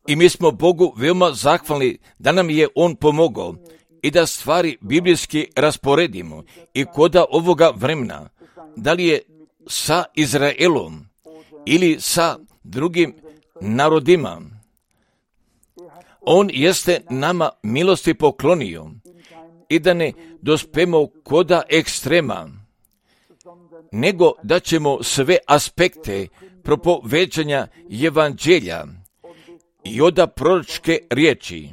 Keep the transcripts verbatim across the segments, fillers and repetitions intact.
I mi smo Bogu veoma zahvalni da nam je On pomogao i da stvari biblijski rasporedimo i koda ovoga vremena, da li je sa Izraelom ili sa drugim narodima. On jeste nama milosti poklonio i da ne dospemo koda ekstrema, nego da ćemo sve aspekte propoveđanja evanđelja i oda proročke riječi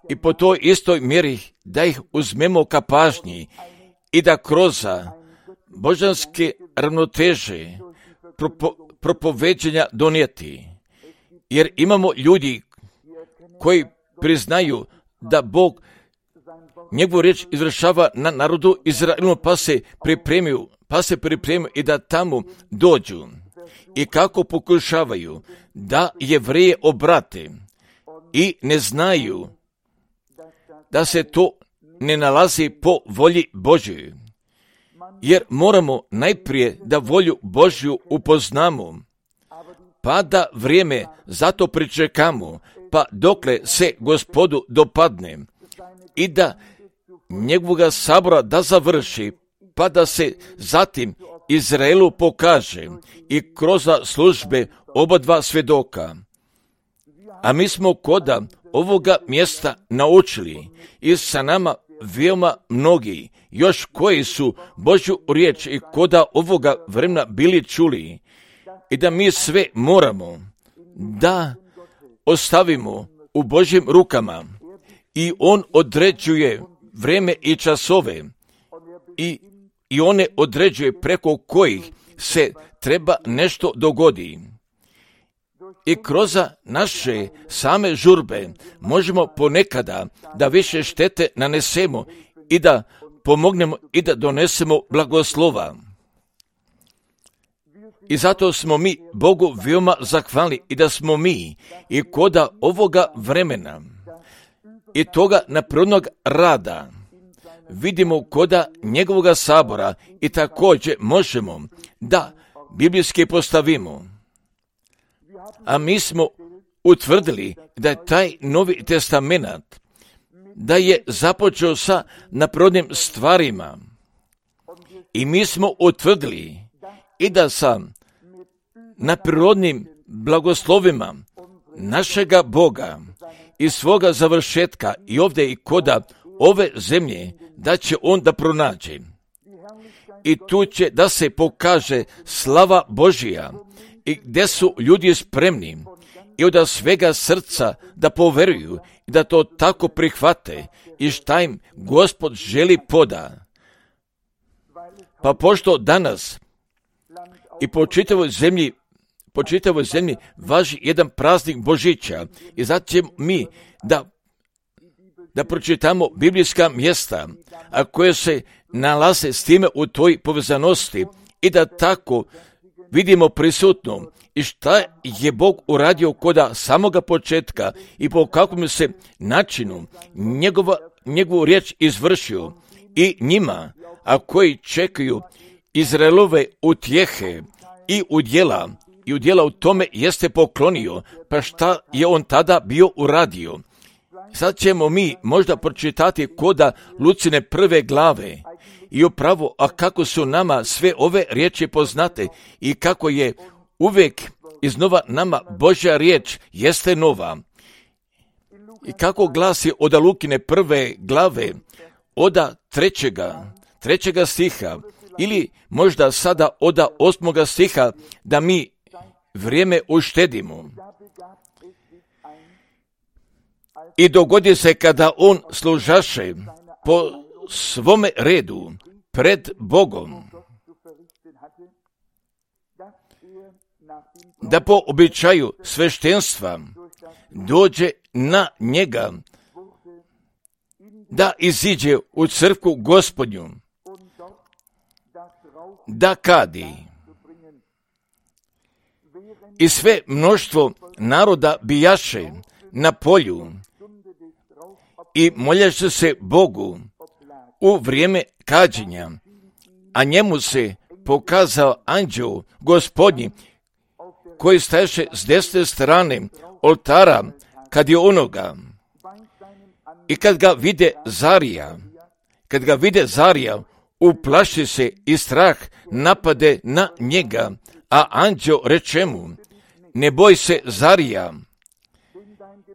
i po toj istoj mjeri da ih uzmemo ka pažnji i da kroz božanske ravnoteže propo, propoveđanja donijeti. Jer imamo ljudi koji priznaju da Bog njegovu riječ izvršava na narodu Izraelu, pa se pripremiju, pa se pripremiju i da tamo dođu. I kako pokušavaju da Jevreje obrate i ne znaju da se to ne nalazi po volji Božjoj. Jer moramo najprije da volju Božju upoznamo, pa da vrijeme zato pričekamo, pa dokle se Gospodu dopadne i da njegovoga sabora da završi, pa da se zatim Izraelu pokaže i kroz službe oba dva svjedoka. A mi smo koda ovoga mjesta naučili i sa nama veoma mnogi, još koji su Božju riječ i koda ovoga vremena bili čuli, i da mi sve moramo da ostavimo u Božjim rukama i On određuje vrijeme i časove i, i one određuje preko kojih se treba nešto dogodi. I kroz naše same žurbe možemo ponekada da više štete nanesemo i da pomognemo i da donesemo blagoslova. I zato smo mi Bogu veoma zahvalni i da smo mi i koda ovoga vremena i toga naprednog rada vidimo koda njegovoga sabora i također možemo da biblijski postavimo. A mi smo utvrdili da je taj Novi Testament da je započeo sa naprednim stvarima. I mi smo utvrdili i da sa naprednim blagoslovima našega Boga i svoga završetka i ovdje i koda ove zemlje da će On da pronađe. I tu će da se pokaže slava Božija i gdje su ljudi spremni i od svega srca da poveruju i da to tako prihvate i šta im Gospod želi poda. Pa pošto danas i po čitavoj zemlji, po čitavoj zemlji važi jedan praznik Božića i zato ćemo mi da, da pročitamo biblijska mjesta, a koje se nalaze s time u toj povezanosti i da tako vidimo prisutno i šta je Bog uradio koda samoga početka i po kakvom se načinu njegova, njegovu riječ izvršio i njima, a koji čekaju Izraelove utjehe i udjela, i udjela u tome jeste poklonio, pa šta je On tada bio uradio. Sad ćemo mi možda pročitati koda Lucine prve glave i upravo, a kako su nama sve ove riječi poznate i kako je uvijek iznova nama Božja riječ jeste nova. I kako glasi od Lukine prve glave, oda trećega, trećega stiha, ili možda sada oda osmoga stiha, da mi vrijeme uštedimo. I dogodi se kada on služaše po svome redu pred Bogom, da po običaju sveštenstva dođe na njega, da iziđe u crkvu Gospodnju, da kadi. I sve mnoštvo naroda bijaše na polju i moljaše se Bogu u vrijeme kađenja, a njemu se pokazao anđeo Gospodnji koji staješe s desne strane oltara kad je onoga. I kad ga vide Zarija, kad ga vide Zarija, uplaši se i strah napade na njega, a anđeo reče mu, ne boj se Zarija,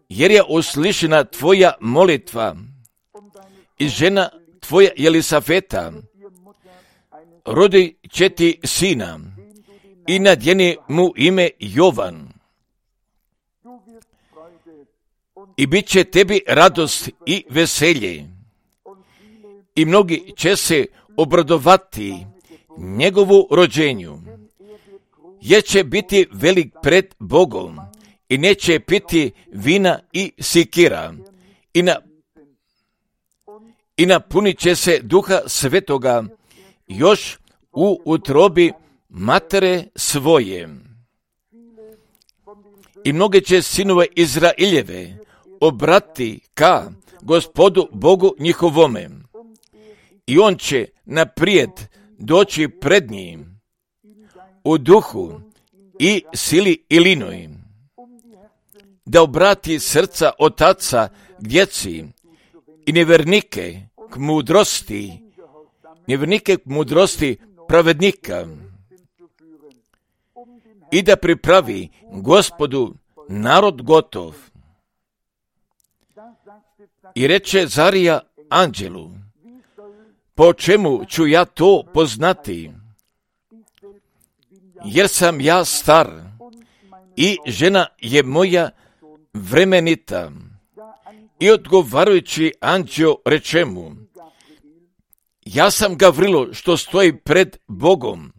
jer je uslišena tvoja molitva i žena tvoja Jelisaveta rodi će ti sina i nadjeni mu ime Jovan. I bit će tebi radost i veselje. I mnogi će se obradovati njegovu rođenju, jer će biti velik pred Bogom i neće piti vina i sikira i, na, i napunit će se Duha Svetoga još u utrobi matere svoje. I mnoge će sinove Izraeljeve obrati ka Gospodu Bogu njihovome. I on će naprijed doći pred njim u duhu i sili Ilinoj, da obrati srca otaca k djeci i nevjernike k mudrosti, nevjernike k mudrosti pravednika, i da pripravi Gospodu narod gotov. I reče Zarija anđelu, po čemu ću ja to poznati? Jer sam ja star i žena je moja vremenita. I odgovarajući anđeo reče mu, ja sam Gavrilo što stoji pred Bogom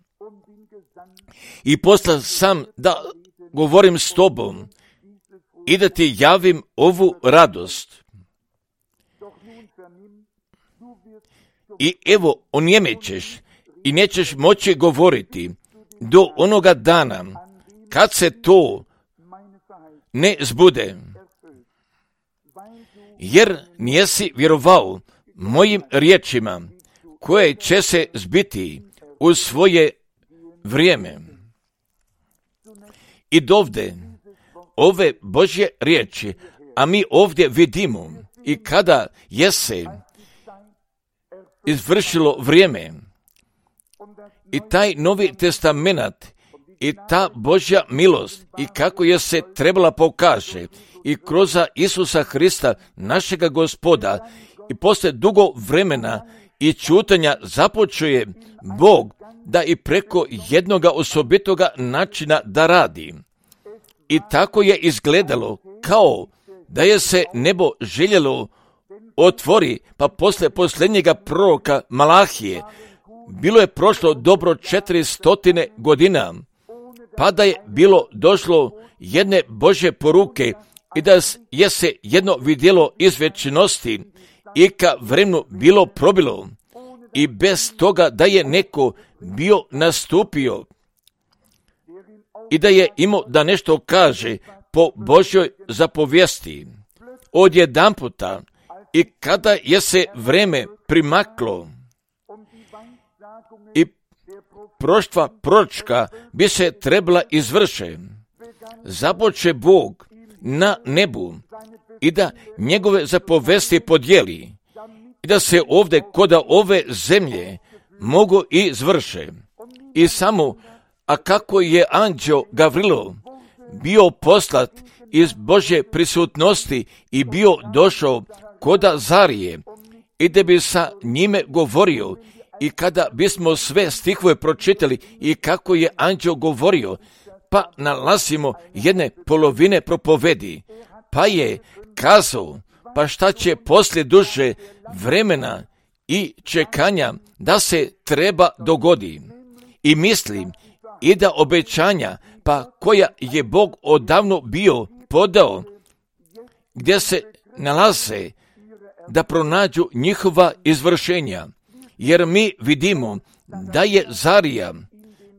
i poslan sam da govorim s tobom i da ti javim ovu radost. I evo, onjemećeš i nećeš moći govoriti do onoga dana kad se to ne zbude, jer nijesi vjerovao mojim riječima koje će se zbiti u svoje vrijeme. I dovde ove Božje riječi, a mi ovdje vidimo i kada je se izvršilo vrijeme i taj Novi Testament i ta Božja milost i kako je se trebala pokaže i kroz Isusa Hrista, našega Gospoda, i poslije dugo vremena i čutanja započuje Bog da i preko jednoga osobitoga načina da radi. I tako je izgledalo kao da je se nebo željelo otvori, pa poslije posljednjega proroka Malahije bilo je prošlo dobro četiri stotine godina, pa da je bilo došlo jedne Božje poruke i da je se jedno vidjelo iz vječnosti i ka vremenu bilo probilo i bez toga da je neko bio nastupio i da je imao da nešto kaže po Božjoj zapovijesti. Odjedanputa i kada je se vreme primaklo i proštva proročka bi se trebala izvrše, započe Bog na nebu i da njegove zapovesti podijeli i da se ovdje kod ove zemlje mogu i izvrše. I samo, a kako je anđeo Gavrilo bio poslat iz Božje prisutnosti i bio došao koda Zarije i da bi sa njime govorio, i kada bismo sve stihove pročitali i kako je anđeo govorio, pa nalazimo jedne polovine propovedi, pa je kazao, pa šta će poslije duže vremena i čekanja da se treba dogodi. I mislim i da obećanja, pa koja je Bog odavno bio podao, gdje se nalaze, da pronađu njihova izvršenja. Jer mi vidimo da je Zarija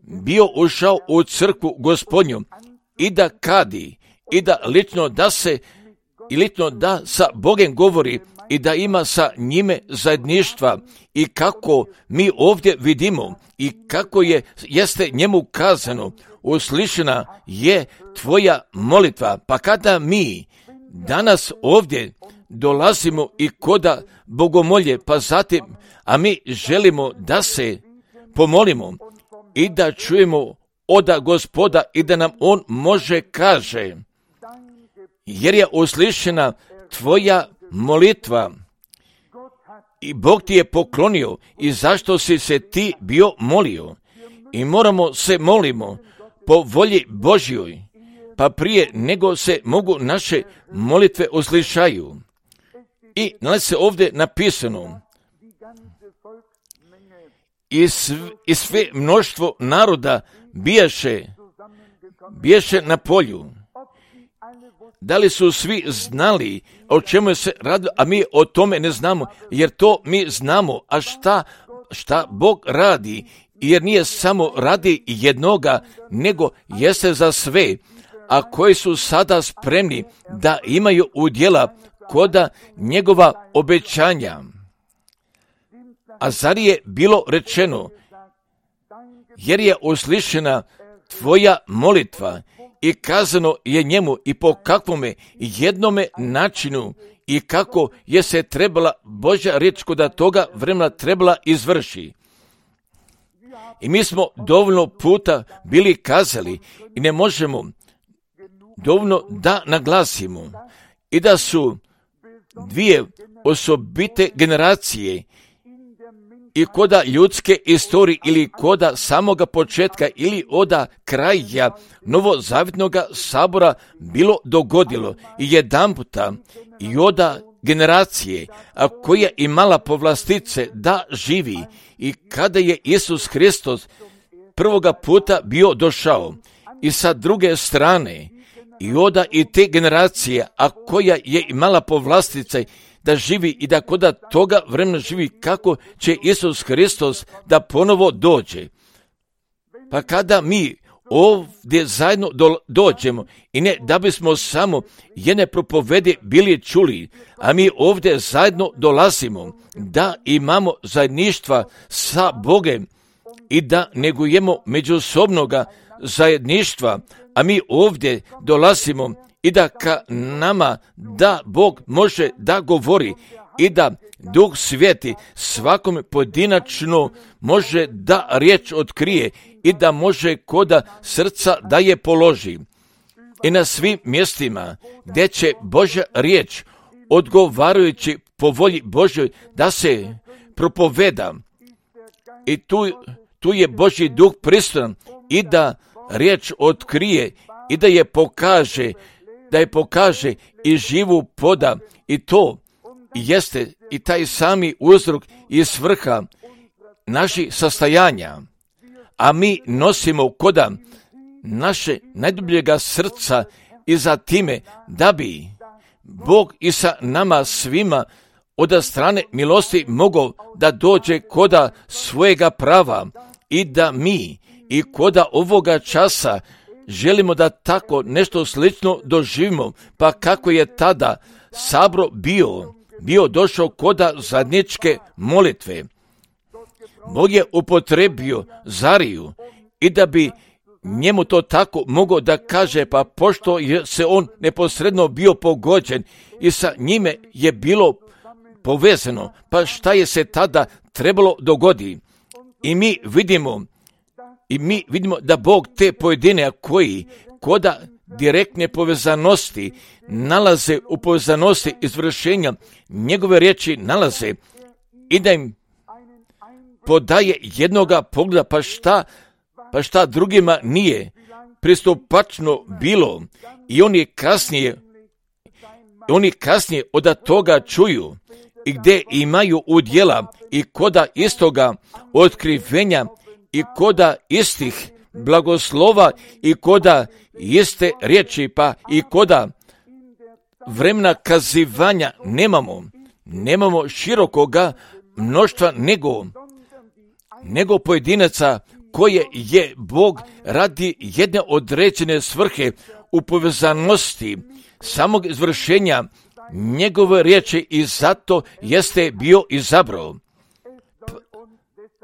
bio ušao u crkvu Gospodnju i da kadi, i da lično da se, i lično da sa Bogom govori, i da ima sa njime zajedništva i kako mi ovdje vidimo i kako je, jeste njemu kazano, uslišena je tvoja molitva. Pa kada mi danas ovdje dolazimo i koda bogomolje, pa zatim, a mi želimo da se pomolimo i da čujemo oda Gospoda i da nam on može kaže, jer je uslišena tvoja molitva i Bog ti je poklonio i zašto si se ti bio molio. I moramo se molimo po volji Božjoj, pa prije nego se mogu naše molitve uslišaju. I nalazi se ovdje napisano, i, sv, i sve mnoštvo naroda bijaše, bijaše na polju. Da li su svi znali o čemu se radi, a mi o tome ne znamo, jer to mi znamo, a šta, šta Bog radi, jer nije samo radi jednoga, nego jeste za sve, a koji su sada spremni da imaju udjela koda njegova obećanja. A zar je bilo rečeno, jer je uslišena tvoja molitva i kazano je njemu i po kakvome jednome načinu i kako je se trebala Božja riječ koda toga vremena trebala izvrši. I mi smo dovoljno puta bili kazali i ne možemo dovoljno da naglasimo i da su dvije osobite generacije i koda ljudske istorije ili koda samoga početka ili oda kraja novozavjetnog sabora bilo dogodilo i jedan puta i oda generacije, a koja imala povlastice da živi i kada je Isus Hristos prvoga puta bio došao i sa druge strane i oda i te generacije, a koja je imala povlastice da živi i da koda toga vremena živi kako će Isus Hristos da ponovo dođe. Pa kada mi ovdje zajedno do, dođemo i ne da bismo samo jedne propovede bili čuli, a mi ovdje zajedno dolazimo da imamo zajedništva sa Bogem i da negujemo međusobnoga zajedništva, a mi ovdje dolazimo i da ka nama da Bog može da govori i da Duh Sveti svakom pojedinačno može da riječ otkrije i da može koda srca da je položi. I na svim mjestima gdje će Božja riječ odgovarajući po volji Božjoj da se propoveda i tu, tu je Božji Duh prisutan i da riječ otkrije i da je pokaže, da je pokaže i živu poda i to jeste i taj sami uzrok i svrha naših sastajanja. A mi nosimo koda naše najdubljega srca i za time da bi Bog i sa nama svima od strane milosti mogao da dođe koda svojega prava i da mi i koda ovoga časa želimo da tako nešto slično doživimo, pa kako je tada sabro bio, bio došao koda zajedničke molitve. Bog je upotrebio Zariju i da bi njemu to tako mogao da kaže, pa pošto je se on neposredno bio pogođen i sa njime je bilo povezano, pa šta je se tada trebalo dogodi? I mi vidimo I mi vidimo da Bog te pojedine koji koda direktne povezanosti nalaze u povezanosti izvršenja njegove riječi nalaze i da im podaje jednoga pogleda, pa šta, pa šta drugima nije pristupačno bilo i oni kasnije, oni kasnije od toga čuju i gdje imaju udjela i koda istoga otkrivenja i koda istih blagoslova i koda iste riječi, pa i koda vremena kazivanja nemamo, nemamo širokoga mnoštva nego, nego pojedinaca koje je Bog radi jedne određene svrhe u povezanosti samog izvršenja njegove riječi i zato jeste bio izabrao.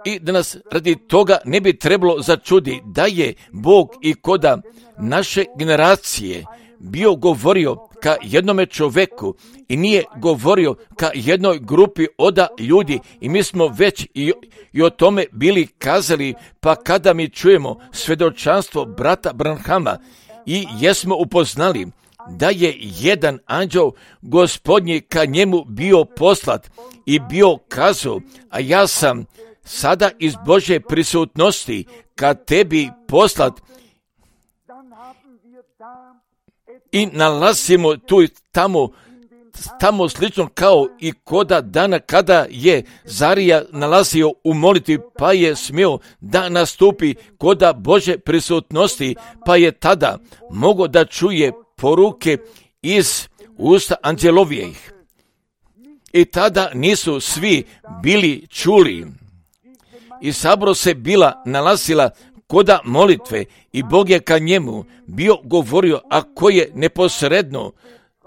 I da nas radi toga ne bi trebalo začudi da je Bog i koda naše generacije bio govorio ka jednome čoveku i nije govorio ka jednoj grupi oda ljudi i mi smo već i, i o tome bili kazali, pa kada mi čujemo svedočanstvo brata Branhama i jesmo upoznali da je jedan anđeo gospodnji ka njemu bio poslat i bio kazao, a ja sam sada iz Božje prisutnosti ka tebi poslat i nalazimo tu i tamo, tamo slično kao i koda dana kada je Zarija nalazio u molitvi pa je smio da nastupi koda Božje prisutnosti pa je tada mogao da čuje poruke iz usta anđelovijih. I tada nisu svi bili čuli. I sabro se bila nalazila koda molitve i Bog je ka njemu bio govorio, a koji je neposredno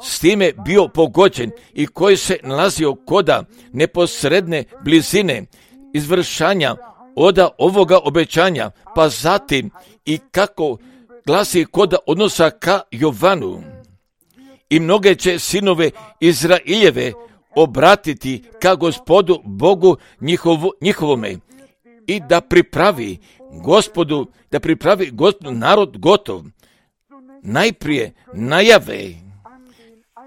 s time bio pogođen i koji se nalazio koda neposredne blizine izvršanja oda ovoga obećanja, pa zatim i kako glasi koda odnosa ka Jovanu. I mnoge će sinove Izraeljeve obratiti ka Gospodu Bogu njihovo, njihovome i da pripravi Gospodu, da pripravi Gospodu narod gotov. Najprije najave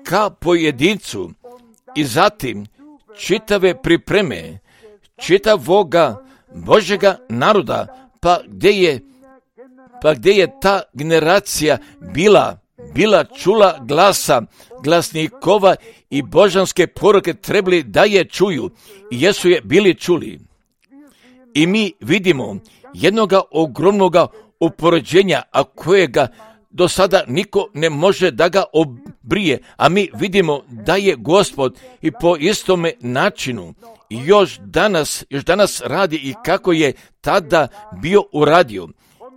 ka pojedincu i zatim čitave pripreme čitavoga Božjega naroda, pa gdje je, pa gdje je ta generacija bila, bila čula glasa glasnikova i božanske poruke trebali da je čuju i jesu je bili čuli. I mi vidimo jednoga ogromnoga upoređenja, a kojega do sada niko ne može da ga obrije, a mi vidimo da je Gospod i po istome načinu još danas, još danas radi i kako je tada bio uradio.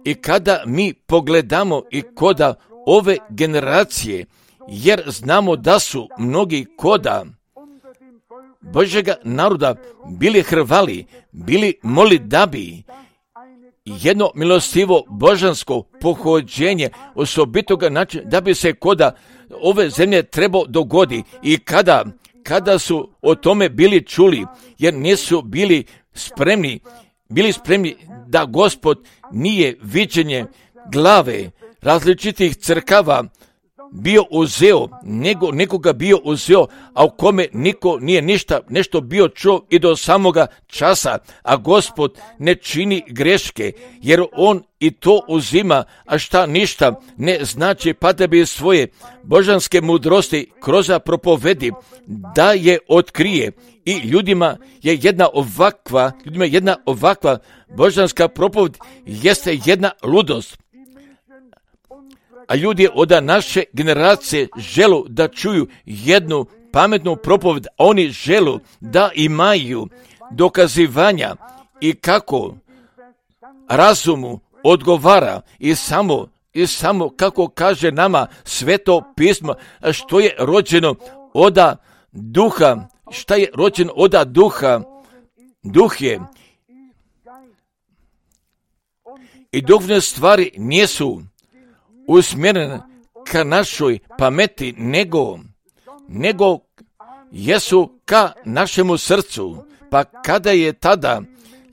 I kada mi pogledamo i koda ove generacije, jer znamo da su mnogi koda Božjega naroda bili hrvali, bili moli da bi jedno milostivo božansko pohođenje osobitoga načina da bi se koda ove zemlje trebao dogodi i kada, kada su o tome bili čuli, jer nisu bili spremni, bili spremni da Gospod nije viđenje glave različitih crkava bio uzeo, nego nekoga bio uzeo, a u kome niko nije ništa, nešto bio čuo i do samoga časa, a Gospod ne čini greške, jer on i to uzima, a šta ništa ne znači, pa da bi svoje božanske mudrosti kroz propovedi da je otkrije. I ljudima je jedna ovakva, ljudima je jedna ovakva božanska propoved jeste jedna ludost. A ljudi od naše generacije želu da čuju jednu pametnu propoved, a oni želu da imaju dokazivanja i kako razumu odgovara i samo, i samo kako kaže nama Sveto pismo, što je rođeno oda duha, šta je rođeno oda duha, duh je. I duhovne stvari nisu usmjerene ka našoj pameti, nego, nego jesu ka našemu srcu. Pa kada je tada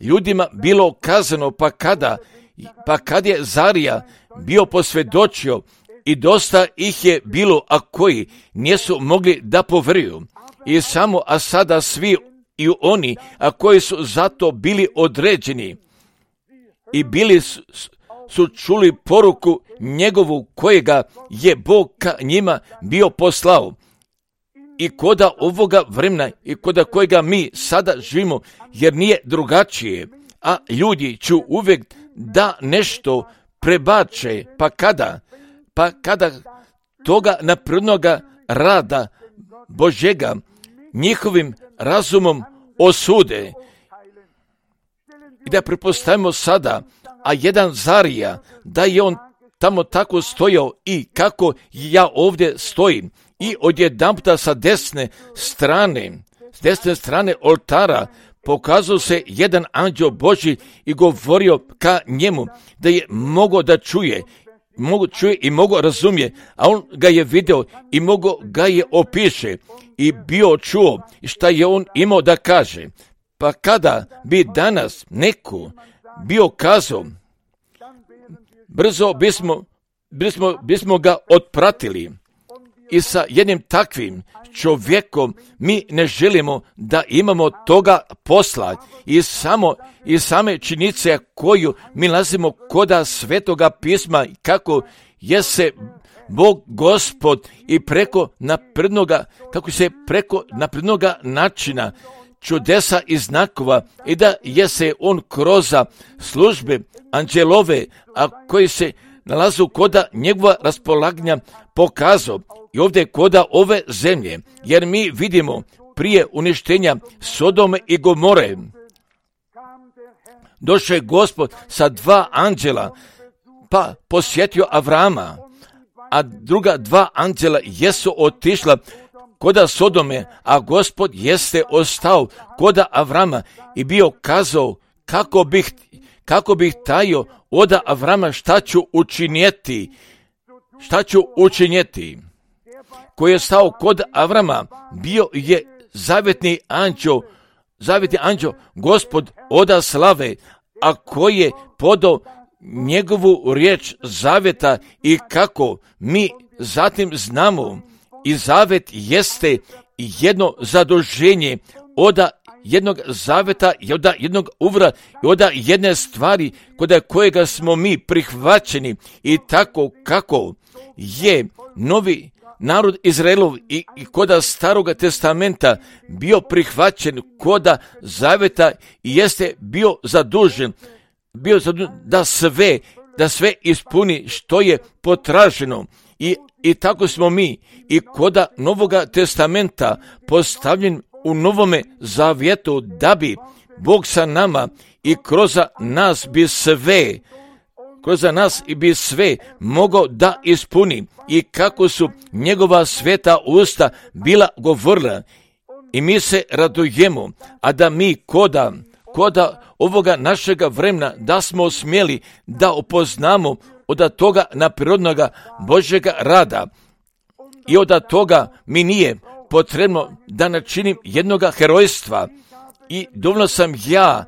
ljudima bilo kazano, pa kada, pa kad je Zarija bio posvjedočio i dosta ih je bilo, a koji nisu mogli da poveruju. I samo, a sada svi i oni, a koji su zato bili određeni i bili su, su čuli poruku njegovu kojega je Bog ka njima bio poslao. I koda ovoga vremena i koda kojega mi sada živimo, jer nije drugačije, a ljudi ću uvijek da nešto prebače, pa kada, pa kada toga naprednoga rada Božjega njihovim razumom osude. I da prepostavimo sada, a jedan Zarija, da je on tamo tako stojao i kako ja ovdje stojim i odjedanputa sa desne strane, s desne strane oltara, pokazao se jedan anđeo Božji i govorio ka njemu, da je mogao da čuje, mogu čuje i mogu razumije, a on ga je video i mogo ga je opiše i bio čuo šta je on imao da kaže. Pa kada bi danas neko bio kazao, brzo bismo, bismo, bismo ga otpratili. I sa jednim takvim čovjekom mi ne želimo da imamo toga posla i samo i same činjenice koju mi nalazimo koda Svetoga pisma, kako je se Bog Gospod i preko naprednoga, kako se preko naprednoga načina čudesa i znakova i da je se on kroz službe anđelove, a koji se nalazu koda njegova raspolaganja pokazao i ovdje koda ove zemlje, jer mi vidimo prije uništenja Sodome i Gomore došao je Gospod sa dva anđela, pa posjetio Avrama, a druga dva anđela jesu otišla koda Sodome, a Gospod jeste ostao koda Avrama i bio kazao kako bih, kako bih tajio od Avrama šta ću učinjeti, šta ću učinjeti. Koji je stao kod Avrama, bio je zavjetni anđeo, zavjetni anđeo, Gospod oda slave, a koji je podao njegovu riječ zavjeta i kako mi zatim znamo i zavjet jeste jedno zaduženje oda jednog zavjeta i oda jednog uvra i oda jedne stvari kod kojega smo mi prihvaćeni i tako kako je novi narod Izraelov i, i koda Staroga testamenta bio prihvaćen koda zavjeta i jeste bio zadužen, bio zadužen da sve, da sve ispuni što je potraženo. I, i tako smo mi i koda Novoga testamenta postavljen u Novome zavjetu da bi Bog sa nama i kroz nas bi sve kroz nas i bi sve mogao da ispuni i kako su njegova sveta usta bila govorila i mi se radujemo, a da mi koda, koda ovoga našega vremena da smo smjeli da upoznamo od toga naprirodnoga Božjega rada i od toga mi nije potrebno da načinim jednoga herojstva i dovoljno sam ja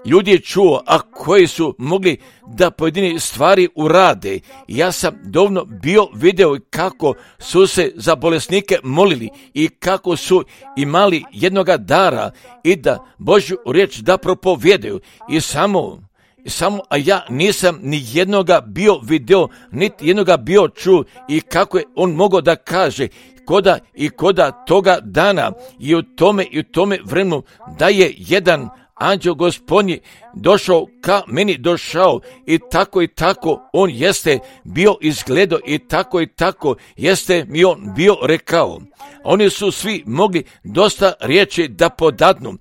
ljudi čuo, a koji su mogli da pojedine stvari urade. Ja sam dovoljno bio video kako su se za bolesnike molili i kako su imali jednoga dara i da Božju riječ da propovjedaju i samo Samo, a ja nisam ni jednoga bio video, niti jednoga bio čuo i kako je on mogao da kaže koda i koda toga dana i u tome i u tome vremenu da je jedan anđeo Gospodnji došao ka meni došao i tako i tako on jeste bio izgledao i tako i tako jeste mi on bio rekao. Oni su svi mogli dosta riječi da podadnu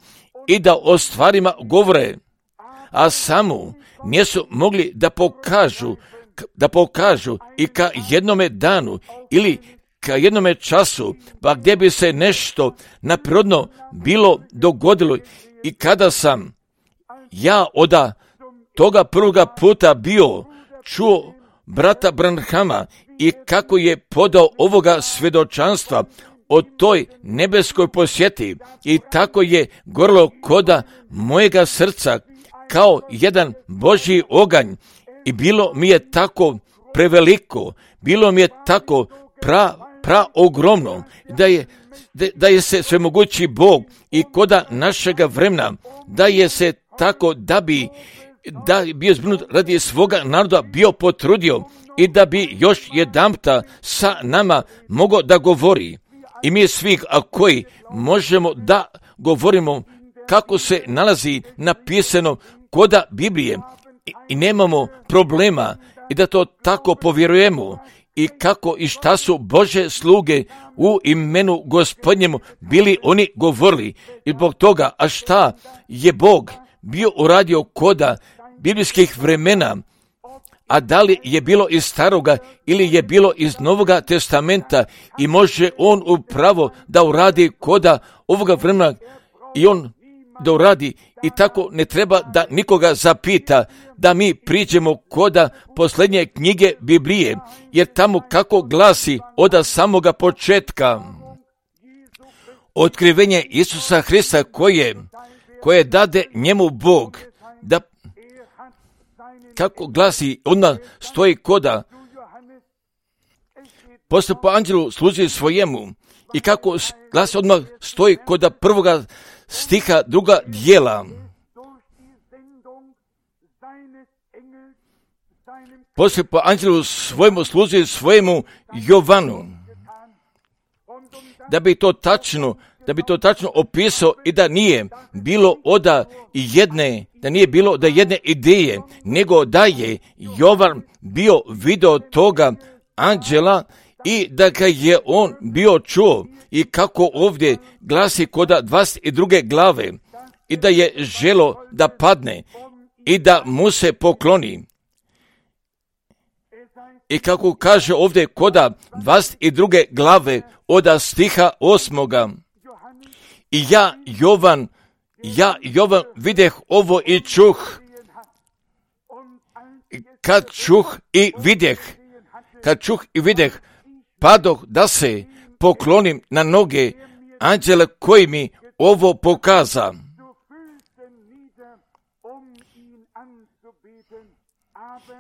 i da o stvarima govore, a samo nisu mogli da pokažu, da pokažu i ka jednome danu ili ka jednome času, pa gdje bi se nešto naprirodno bilo dogodilo. I kada sam ja od toga prvoga puta bio čuo brata Branhama i kako je podao ovoga svjedočanstva o toj nebeskoj posjeti i tako je gorlo koda mojega srca kao jedan Božji oganj i bilo mi je tako preveliko, bilo mi je tako pra, pra ogromno da je, da, da je se svemogući Bog i koda našega vremena da je se tako da bi da bi bio zbrinut radi svoga naroda bio potrudio i da bi još jedanputa sa nama mogao da govori. I mi svi a koji možemo da govorimo kako se nalazi napisano koda Biblije i, i nemamo problema i da to tako povjerujemo i kako i šta su Bože sluge u imenu Gospodnjemu bili oni govorili i zbog toga, a šta je Bog bio uradio koda biblijskih vremena, a da li je bilo iz staroga ili je bilo iz Novoga testamenta i može on upravo da uradi koda ovoga vremena i on da uradi i tako ne treba da nikoga zapita da mi priđemo koda posljednje knjige Biblije, jer tamo kako glasi od samoga početka otkrivenje Isusa Hrista koje, koje dade njemu Bog, da kako glasi, odmah stoji koda poslije po anđelu služi svojemu i kako glasi odmah stoji koda prvoga stiha druga dijela. Poslije po anđelu svojemu služi svojemu Jovanu. Da bi to tačno, da bi to tačno opisao i da nije bilo oda jedne, da nije bilo da jedne ideje, nego da je Jovan bio video toga anđela i da ga je on bio čuo i kako ovdje glasi koda dvadeset druge glave i da je želo da padne i da mu se pokloni. I kako kaže ovdje koda dvadeset druge glave od stiha osmoga. I ja, Jovan, ja, Jovan, videh ovo i čuh. Kad čuh i videh, kad čuh i videh, padoh da se poklonim na noge anđela koji mi ovo pokaza.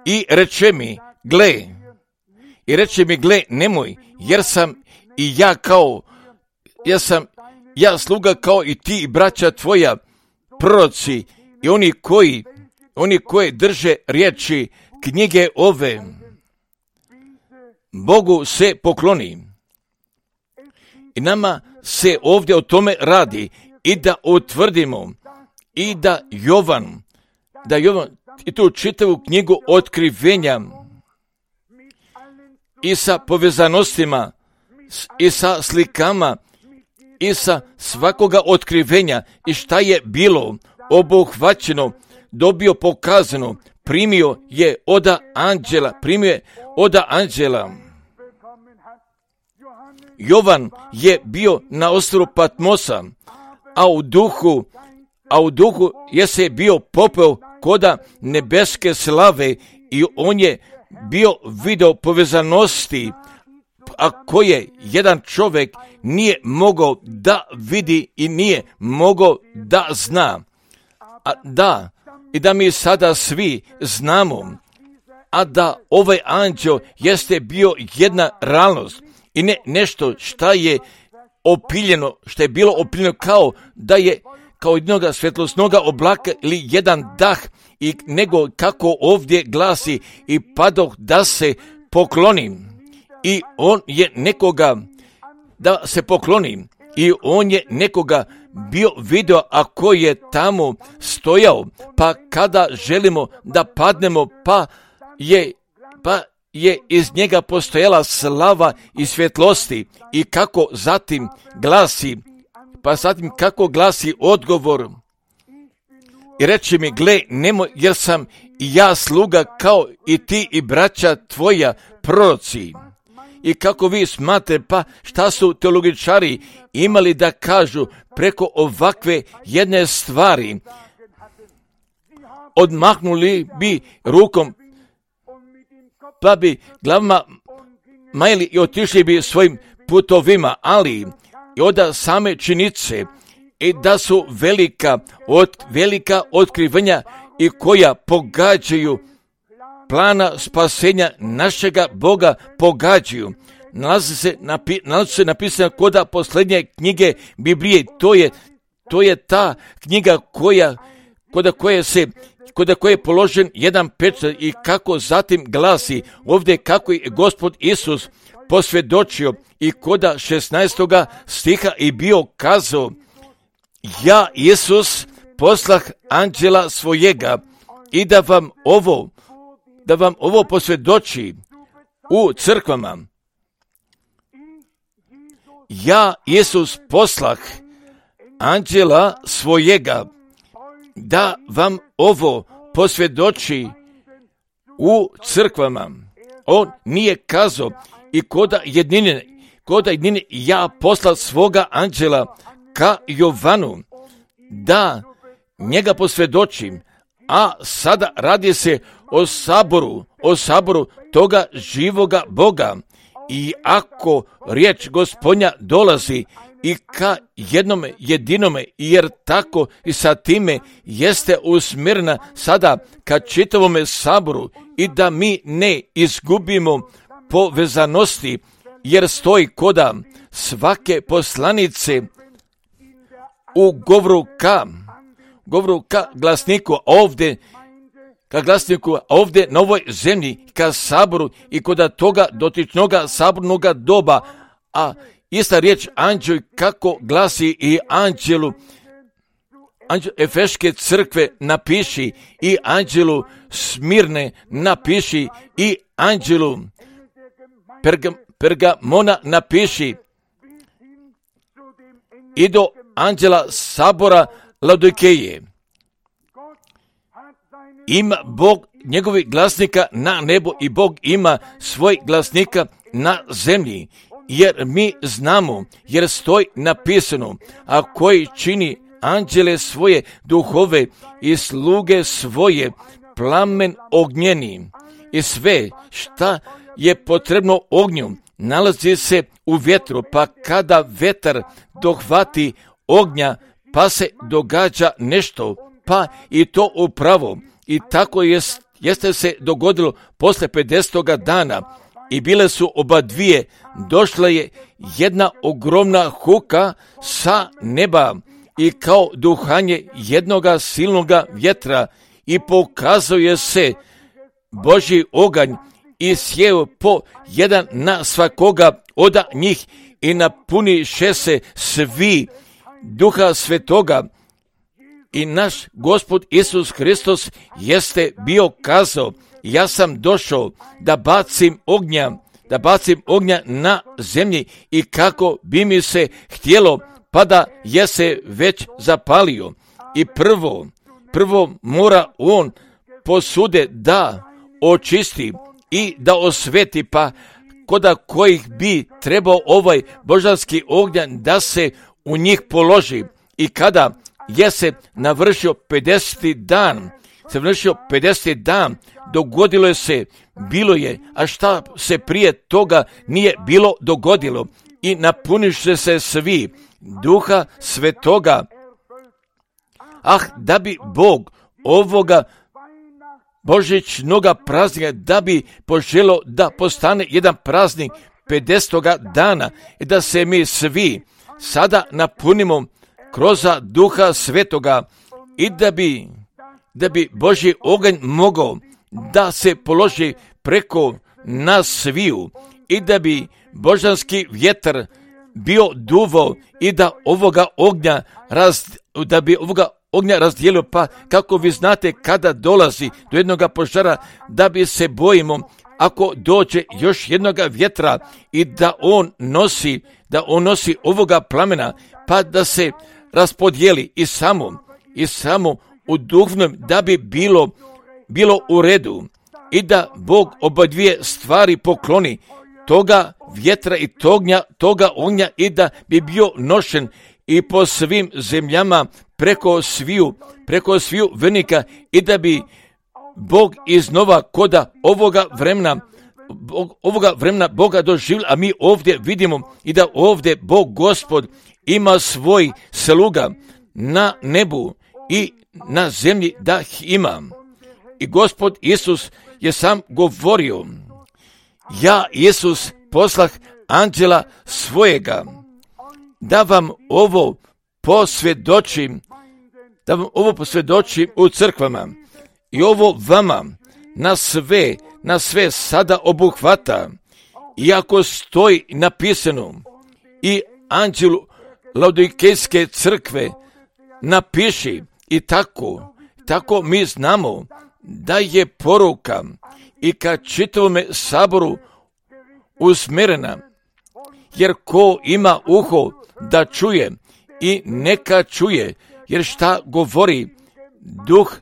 I reče mi, gle, i reče mi, gle, nemoj, jer sam i ja kao, ja sam, ja sluga kao i ti i braća tvoja, proroci i oni koji, oni koji drže riječi knjige ove, Bogu se pokloni. I nama se ovdje o tome radi i da utvrdimo i da Jovan, da Jovan i tu čitavu knjigu otkrivenja i sa povezanostima i sa slikama i sa svakoga otkrivenja i šta je bilo obuhvaćeno, dobio pokazano, primio je oda anđela, primio je oda anđela. Jovan je bio na ostrvu Patmosa, a u duhu, a u duhu je se bio popeo koda nebeske slave i on je bio video povezanosti, a koje jedan čovjek nije mogao da vidi i nije mogao da zna. A da, i da mi sada svi znamo, a da ovaj anđeo jeste bio jedna realnost i ne nešto šta je opiljeno, što je bilo opiljeno kao da je kao jednoga svjetlosnoga oblaka ili jedan dah, i nego kako ovdje glasi i padoh da se poklonim. I on je nekoga da se pokloni i on je nekoga bio video, a koji je tamo stojao, pa kada želimo da padnemo, pa je, pa je iz njega postojala slava i svjetlosti i kako zatim glasi, pa zatim kako glasi odgovor. I reče mi, gle, nemoj, jer sam i ja sluga kao i ti i braća tvoja proroci. I kako vi smatrate, pa šta su teologičari imali da kažu preko ovakve jedne stvari? Odmahnuli bi rukom, pa bi glavama majili i otišli bi svojim putovima, ali i od same činjenice i da su velika, od, velika otkrivenja i koja pogađaju plana spasenja našega Boga pogađaju. Nalazi se, napi, nalazi se napisano koda posljednje knjige Biblije. To je, to je ta knjiga koja, koda koje se, koda koje je položen jedan pečat i kako zatim glasi ovdje kako je Gospod Isus posvjedočio i koda šesnaestoga stiha i bio kazao, ja Isus poslah anđela svojega i da vam ovo da vam ovo posvjedoči u crkvama. Ja, Isus, poslah anđela svojega, da vam ovo posvjedoči u crkvama. On nije kazao i koda jednine, koda jednine ja poslao svoga anđela ka Jovanu, da njega posvjedočim, a sada radi se o saboru, o saboru toga živoga Boga. I ako riječ Gospodnja dolazi i ka jednome jedinome, jer tako i sa time jeste usmjerena sada ka čitavome saboru i da mi ne izgubimo povezanosti, jer stoji koda svake poslanice u govoru ka, govoru ka glasniku ovdje, ka glasniku ovdje na ovoj zemlji, ka saboru i koda toga dotičnoga sabornoga doba, a ista riječ anđel kako glasi i anđelu, anđelu Efeške crkve napiši i anđelu Smirne napiši i anđelu Perga, Pergamona napiši i do anđela sabora Laodikeje. Ima Bog njegovih glasnika na nebu i Bog ima svoj glasnika na zemlji, jer mi znamo, jer stoji napisano, a koji čini anđele svoje duhove i sluge svoje plamen ognjeni. I sve šta je potrebno ognju nalazi se u vjetru, pa kada vetar dohvati ognja, pa se događa nešto, pa i to upravo. I tako jest, jeste se dogodilo posle pedesetoga dana i bile su oba dvije, došla je jedna ogromna huka sa neba i kao duhanje jednoga silnoga vjetra i pokazuje se Božji oganj i sjeo po jedan na svakoga od njih i napuniše se svi Duha Svetoga. I naš Gospod Isus Hristos jeste bio kazao, ja sam došao da bacim ognja, da bacim ognja na zemlji i kako bi mi se htjelo, pa da je se već zapalio. I prvo, prvo mora on posude da očisti i da osveti, pa koda kojih bi trebao ovaj božanski ognjan da se u njih položi. I kada je se navršio pedeseti dan, se vršio pedeseti dan, dogodilo je se, bilo je, a šta se prije toga nije bilo dogodilo. I napuniše se svi Duha Svetoga. Ah, da bi Bog ovoga božićnoga praznika, da bi poželo da postane jedan praznik pedesetoga dana i da se mi svi sada napunimo kroz Duha Svetoga i da bi, da bi Božji oganj mogao da se položi preko nas sviju i da bi božanski vjetar bio duvo i da ovoga ognja raz, da bi ovoga ognja razdijelio, pa kako vi znate kada dolazi do jednoga požara, da bi se bojimo ako dođe još jednoga vjetra i da on nosi, da on nosi ovoga plamena, pa da se raspodijeli i samo, i samo u duhovnom, da bi bilo, bilo u redu i da Bog oba dvije stvari pokloni, toga vjetra i tognja, toga ognja i da bi bio nošen i po svim zemljama preko sviju, preko sviju vernika i da bi Bog iznova koda ovoga vremena, ovoga vremena Boga doživjeli, a mi ovdje vidimo i da ovdje Bog Gospod ima svoj sluga na nebu i na zemlji da ih ima. I Gospod Isus je sam govorio, ja Isus poslah anđela svojega, da vam ovo posvjedočim, da vam ovo posvjedočim u crkvama i ovo vama na sve, na sve sada obuhvata, iako stoji napisano i anđelu Laodikejske crkve napiši i tako, tako mi znamo da je poruka i ka čitavome saboru usmjerena, jer ko ima uho da čuje i neka čuje, jer šta govori Duh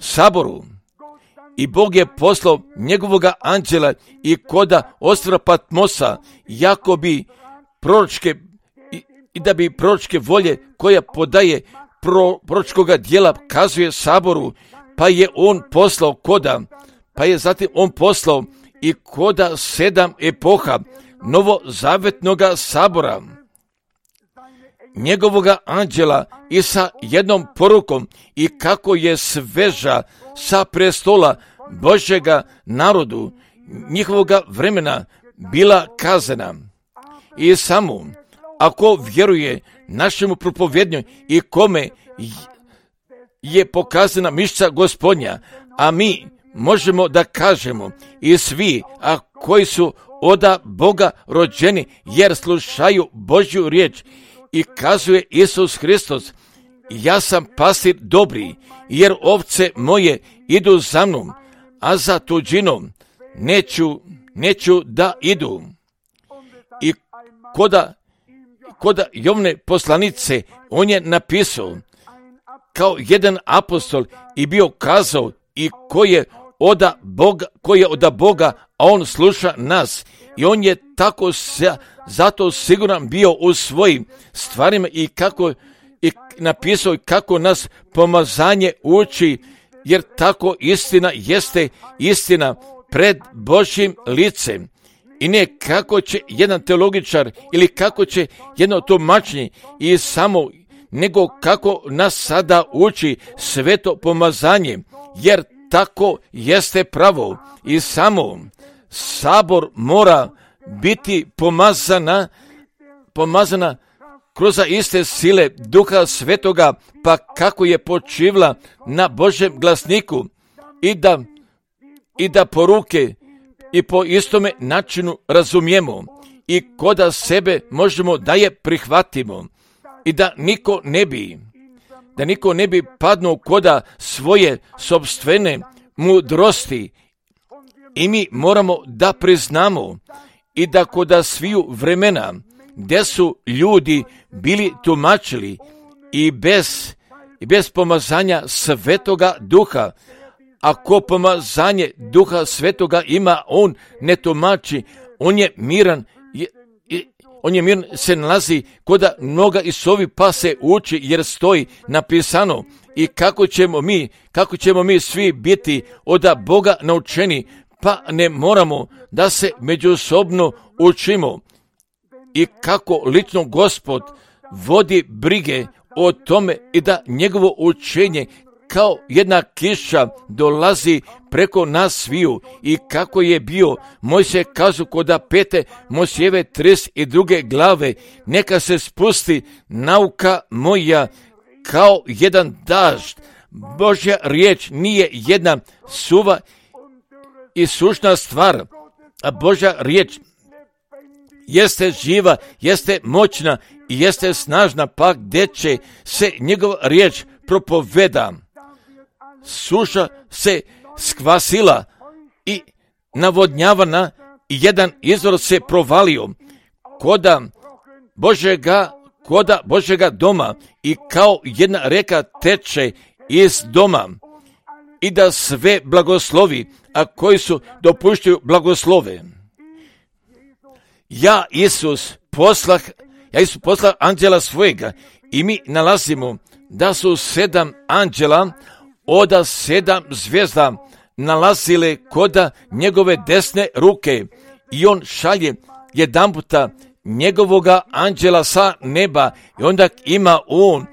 saboru, I Bog je poslao njegovoga anđela i koda ostrva Patmosa, jako bi proročke, i, i da bi proročke volje koja podaje pro, proročkoga dijela kazuje saboru, pa je on poslao koda, pa je zatim on poslao i koda sedam epoha novozavetnoga sabora, njegovoga anđela i sa jednom porukom i kako je sveža sa prestola Božjega narodu njihovoga vremena bila kazana. I samo ako vjeruje našemu propovjednju i kome je pokazana mišća Gospodnja, a mi možemo da kažemo i svi, a koji su oda Boga rođeni, jer slušaju Božju riječ, i kazuje Isus Hristos, ja sam pastir dobri, jer ovce moje idu za mnom, a za tuđinom neću, neću da idu. I koda, koda Jovne poslanice, on je napisao kao jedan apostol i bio kazao i ko je oda Boga, ko je oda Boga, a on sluša nas. I on je tako se, zato siguran bio u svojim stvarima i kako i napisao kako nas pomazanje uči, jer tako istina jeste istina pred Božjim licem. I ne kako će jedan teologičar ili kako će jedno tumačenje i samo, nego kako nas sada uči sveto pomazanje, jer tako jeste pravo. I samo sabor mora biti pomazana, pomazana kroz iste sile Duha Svetoga, pa kako je počivla na Božjem glasniku, i da, i da poruke i po istome načinu razumijemo i koda sebe možemo da je prihvatimo i da niko ne bi, da niko ne bi padnuo koda svoje sopstvene mudrosti. I mi moramo da priznamo i da koda sviju vremena gdje su ljudi bili tumačili i bez, i bez pomazanja Svetoga Duha, ako pomazanje Duha Svetoga ima, on ne tumači, on je miran, je, je, on je miran, se nalazi koda mnoga i sovi pa se uči, jer stoji napisano. I kako ćemo mi, kako ćemo mi svi biti od Boga naučeni, pa ne moramo da se međusobno učimo. I kako lično Gospod vodi brige o tome i da njegovo učenje kao jedna kiša dolazi preko nas sviju, i kako je bio Mojsije kazu koda pete Mojsijeve trideset druge glave, neka se spusti nauka moja kao jedan dažd. Božja riječ nije jedna suva i sušna stvar, a Božja riječ jeste živa, jeste moćna i jeste snažna, pa gdje će se njegova riječ propoveda. Suša se skvasila i navodnjavana i jedan izvor se provalio koda Božega, koda Božega doma, i kao jedna reka teče iz doma, i da sve blagoslovi, a koji su dopuštaju blagoslove. Ja Isus poslah, ja Isus poslah anđela svojega, i mi nalazimo da su sedam anđela oda sedam zvijezda nalazile koda njegove desne ruke, i on šalje jedanputa njegovoga anđela sa neba, i onda ima on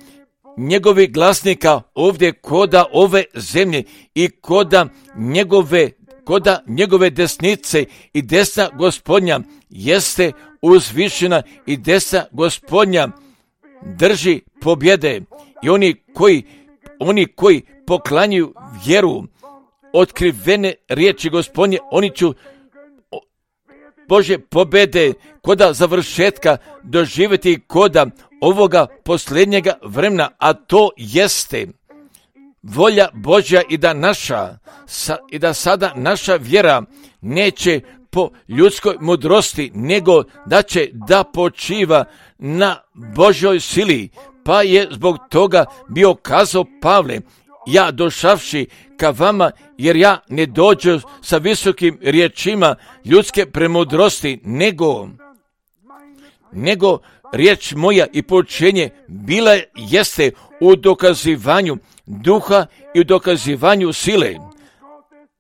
njegovi glasnika ovdje koda ove zemlje i koda njegove, koda njegove desnice, i desna Gospodnja jeste uzvišena, i desna Gospodnja drži pobjede. I oni koji, oni koji poklanjaju vjeru, otkrivene riječi Gospodnje, oni će Bože pobjede koda završetka doživjeti koda ovoga posljednjega vremena, a to jeste volja Božja, i da naša sa, i da sada naša vjera neće po ljudskoj mudrosti, nego da će da počiva na Božjoj sili. Pa je zbog toga bio kazao Pavle, ja došavši ka vama, jer ja ne dođu sa visokim riječima ljudske premudrosti, nego, nego riječ moja i poučenje bila jeste u dokazivanju duha i u dokazivanju sile.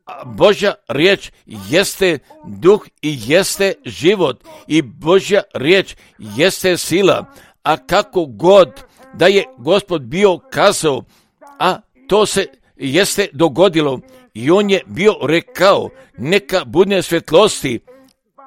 A Božja riječ jeste duh i jeste život i Božja riječ jeste sila. A kako god da je Gospod bio kazao, a to se jeste dogodilo i on je bio rekao, neka bude svjetlosti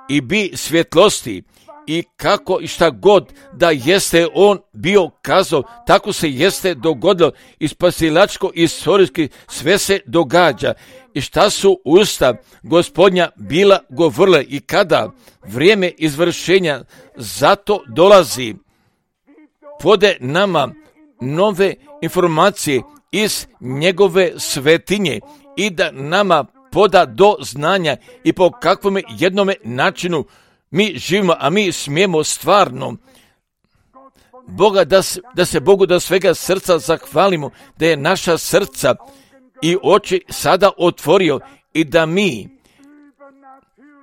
i bi svjetlosti. I kako i šta god da jeste on bio kazao, tako se jeste dogodilo i spasilačko i istorijski sve se događa. I šta su usta Gospodnja bila govorile i kada vrijeme izvršenja zato dolazi, pode nama nove informacije iz njegove svetinje i da nama poda do znanja i po kakvom jednome načinu mi živimo, a mi smijemo stvarno Boga da, da se Bogu da svega srca zahvalimo, da je naša srca i oči sada otvorio i da mi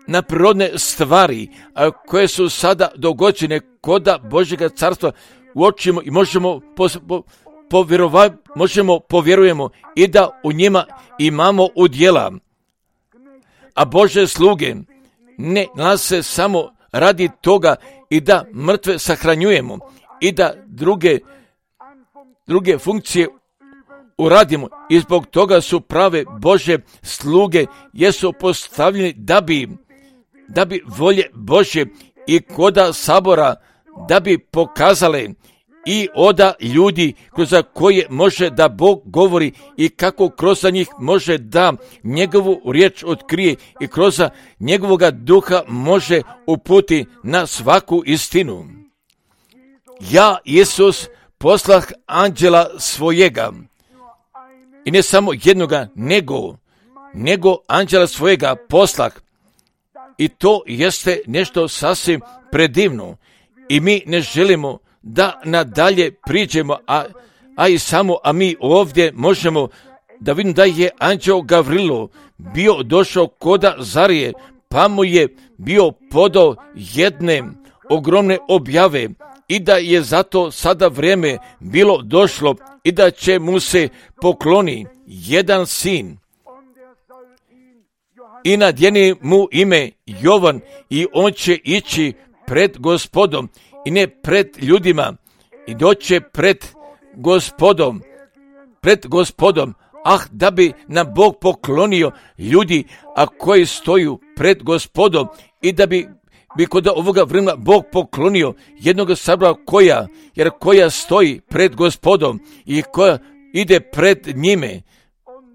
na prirodne stvari a koje su sada dogođene koda Božjega carstva uočimo i možemo pos, po, povjerovati, možemo povjerujemo i da u njima imamo udjela. A Božje sluge ne nas se samo radi toga i da mrtve sahranjujemo i da druge, druge funkcije uradimo i zbog toga su prave Božje sluge jesu postavljeni da bi, da bi volje Božje i koda sabora da bi pokazale i oda ljudi kroz koje može da Bog govori i kako kroz njih može da njegovu riječ otkrije i kroz njegovoga duha može uputi na svaku istinu. Ja, Isus, poslah anđela svojega i ne samo jednoga, nego, nego anđela svojega poslah i to jeste nešto sasvim predivno i mi ne želimo da nadalje priđemo, a, a i samo, a mi ovdje možemo da vidimo da je anđeo Gavrilo bio došao koda Zarije, pa mu je bio podao jedne ogromne objave i da je zato sada vrijeme bilo došlo i da će mu se pokloni jedan sin. I nadjeni mu ime Jovan i on će ići pred Gospodom i ne pred ljudima i doće pred Gospodom, pred Gospodom, ah da bi nam Bog poklonio ljudi, a koji stoju pred Gospodom i da bi, bi kod ovoga vremena Bog poklonio jednog sabora koja, jer koja stoji pred Gospodom i koja ide pred njime,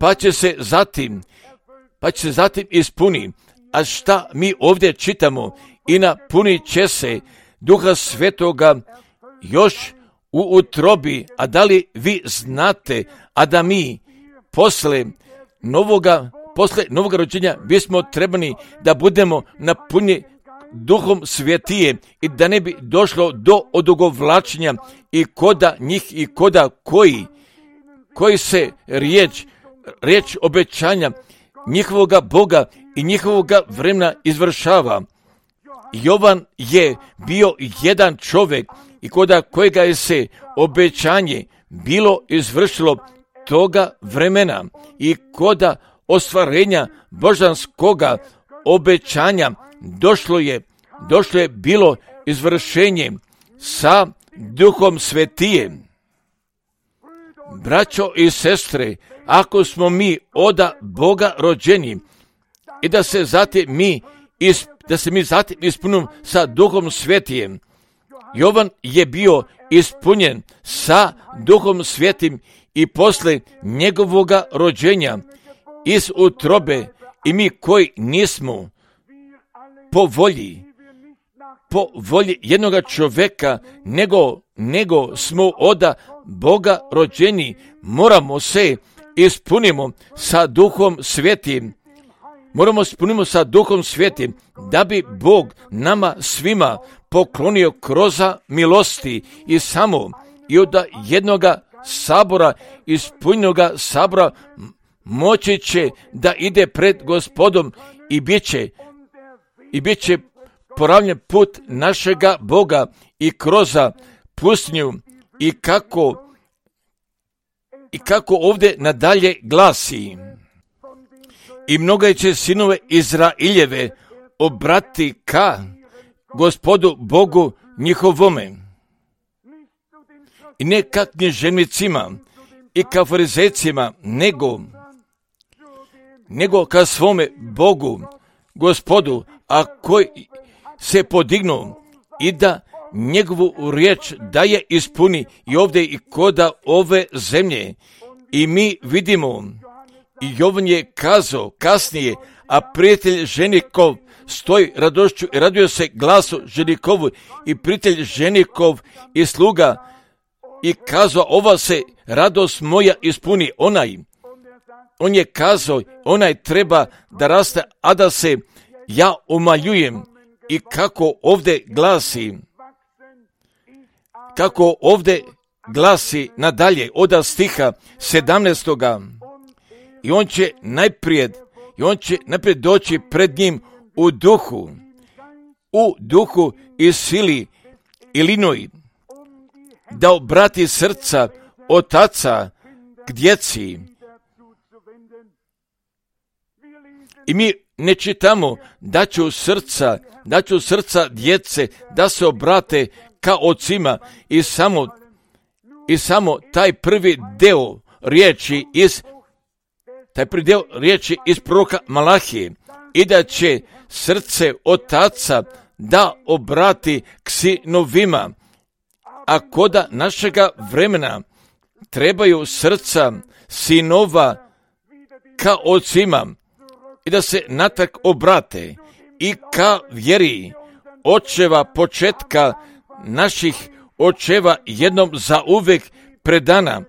pa će se zatim, pa će se zatim ispuni. A šta mi ovdje čitamo? I napunit će se Duha Svetoga još u utrobi, a da li vi znate, a da mi posle novoga, posle novoga rođenja bismo trebani da budemo napunjeni Duhom Svetije i da ne bi došlo do odugovlačenja i koda njih i koda koji, koji se riječ, riječ obećanja njihovoga Boga i njihovoga vremena izvršava. Jovan je bio jedan čovjek i koda kojega je se obećanje bilo izvršilo toga vremena i koda ostvarenja božanskoga obećanja došlo je, došlo je bilo izvršenje sa Duhom Svetijem. Braćo i sestre, ako smo mi oda Boga rođeni i da se zatim mi is, da se mi zatim ispunimo sa Duhom Svetijem. Jovan je bio ispunjen sa Duhom Svetim i posle njegovoga rođenja iz utrobe i mi koji nismo po volji, po volji jednoga čovjeka, nego, nego smo oda Boga rođeni, moramo se ispunimo sa Duhom Svetim. Moramo ispunimo sa Duhom Svetim da bi Bog nama svima poklonio kroz milosti i samo i od jednoga sabora, ispunjenoga sabora, moći će da ide pred Gospodom i bit će, i bit će poravnjen put našega Boga i kroz pustinju i kako, i kako ovdje nadalje glasi. I mnoga će sinove Izraeljeve obrati ka Gospodu Bogu njihovome. I ne ka književnicima i ka farizejcima, nego, nego ka svome Bogu, Gospodu, a koji se podignu i da njegovu riječ daje ispuni i ovdje i koda ove zemlje. I mi vidimo, i Jovan je kazao kasnije, a prijatelj ženikov stoji radošću i raduje se glasu ženikovu i prijatelj ženikov i sluga i kazao, ova se radost moja ispuni. Onaj, on je kazao, onaj treba da raste, a da se ja umaljujem. I kako ovdje glasi, kako ovdje glasi nadalje od stiha sedamnaestoga. I on će najprije, i on će najprije doći pred njim u duhu, u duhu i sili i linoj, da obrati srca otaca k djeci. I mi ne čitamo da ću srca, da ću srca djece da se obrate ka ocima i samo, i samo taj prvi deo riječi iz taj prvi deo riječi iz proroka Malahije i da će srce otaca da obrati k sinovima, a koda našega vremena trebaju srca sinova ka ocima i da se natrag obrate i ka vjeri očeva početka naših očeva jednom za uvijek predana.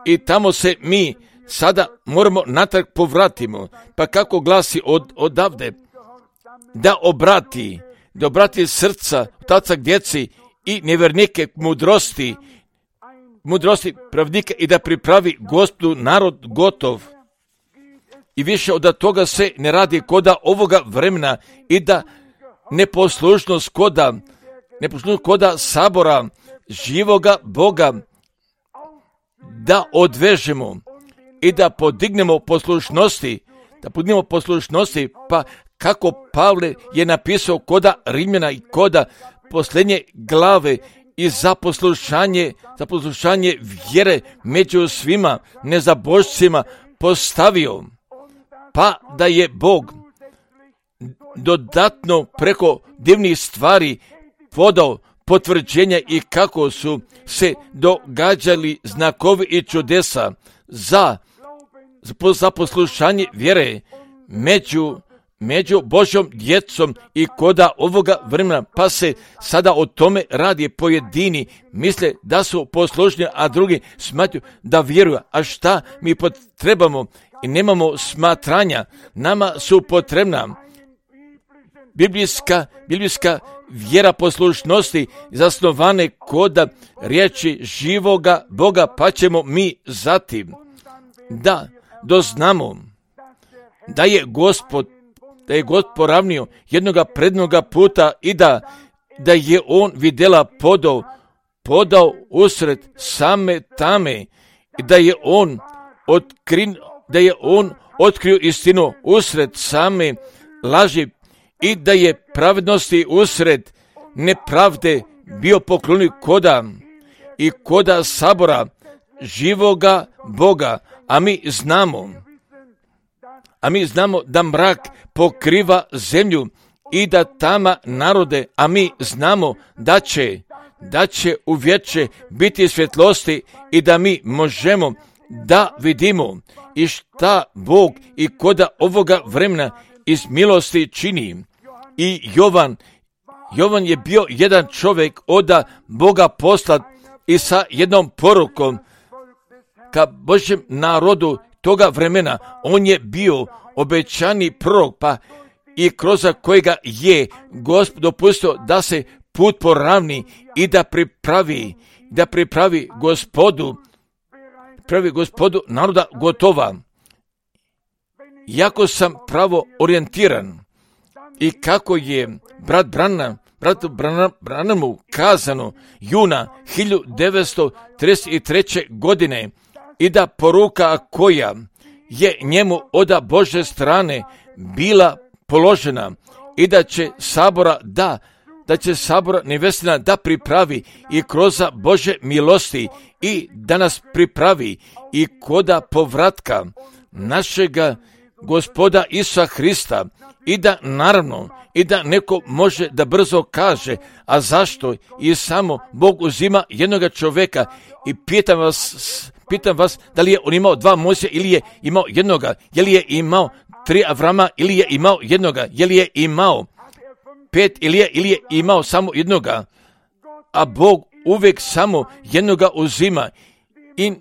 I tamo se mi sada moramo natrag povratimo. Pa kako glasi od, odavde? Da obrati, da obrati srca otaca k djeci i nevjernike k mudrosti, mudrosti pravnika i da pripravi Gospodu narod gotov. I više od toga se ne radi koda ovoga vremena i da neposlušnost koda, neposlušnost koda sabora živoga Boga da odvežemo i da podignemo poslušnosti, da podignemo poslušnosti, pa kako Pavle je napisao koda Rimljana i koda posljednje glave i za poslušanje, za poslušanje vjere među svima nezabožcima postavio, pa da je Bog dodatno preko divnih stvari podao potvrđenja i kako su se događali znakovi i čudesa za, za poslušanje vjere među, među Božjom djecom i koda ovoga vremena, pa se sada o tome radi. Pojedini misle da su poslušni, a drugi smatruju da vjeruju. A šta mi potrebamo? I nemamo smatranja, nama su potrebna biblijska, biblijska vjera poslušnosti zasnovane koda riječi živoga Boga, pa ćemo mi zatim da doznamo da je Gospod, da je Gospod poravnio jednoga prednoga puta i da, da je on vidjela podao, podao usred same tame i da je on otkrin, da je on otkrio istinu usred same laži i da je pravednosti usred nepravde bio poklonio koda i koda sabora živoga Boga, a mi znamo, a mi znamo da mrak pokriva zemlju i da tama narode, a mi znamo da će, da će u vječe biti svjetlosti i da mi možemo da vidimo i šta Bog i koda ovoga vremena iz milosti čini. I Jovan, Jovan je bio jedan čovjek od Boga poslat i sa jednom porukom ka Božjem narodu toga vremena. On je bio obećani prorok, pa i kroz kojega je Gospod dopustio da se put poravni i da pripravi da pripravi gospodu, pravi gospodu naroda gotova. Jako sam pravo orijentiran i kako je brat Branham, bratu Branhamu kazano juna hiljadu devetsto trideset treće. godine i da poruka koja je njemu od Božje strane bila položena i da će sabora da da će sabora nevestina da pripravi i kroz Božje milosti i da nas pripravi i koda povratka našega Gospoda Isusa Hrista i da naravno i da neko može da brzo kaže, a zašto i samo Bog uzima jednoga čovjeka i pitam vas, pitam vas da li je on imao dva Mojsija ili je imao jednoga, je li je imao tri Avrama ili je imao jednoga, je li je imao pet ili je, ili je imao samo jednoga, a Bog uvijek samo jednoga uzima i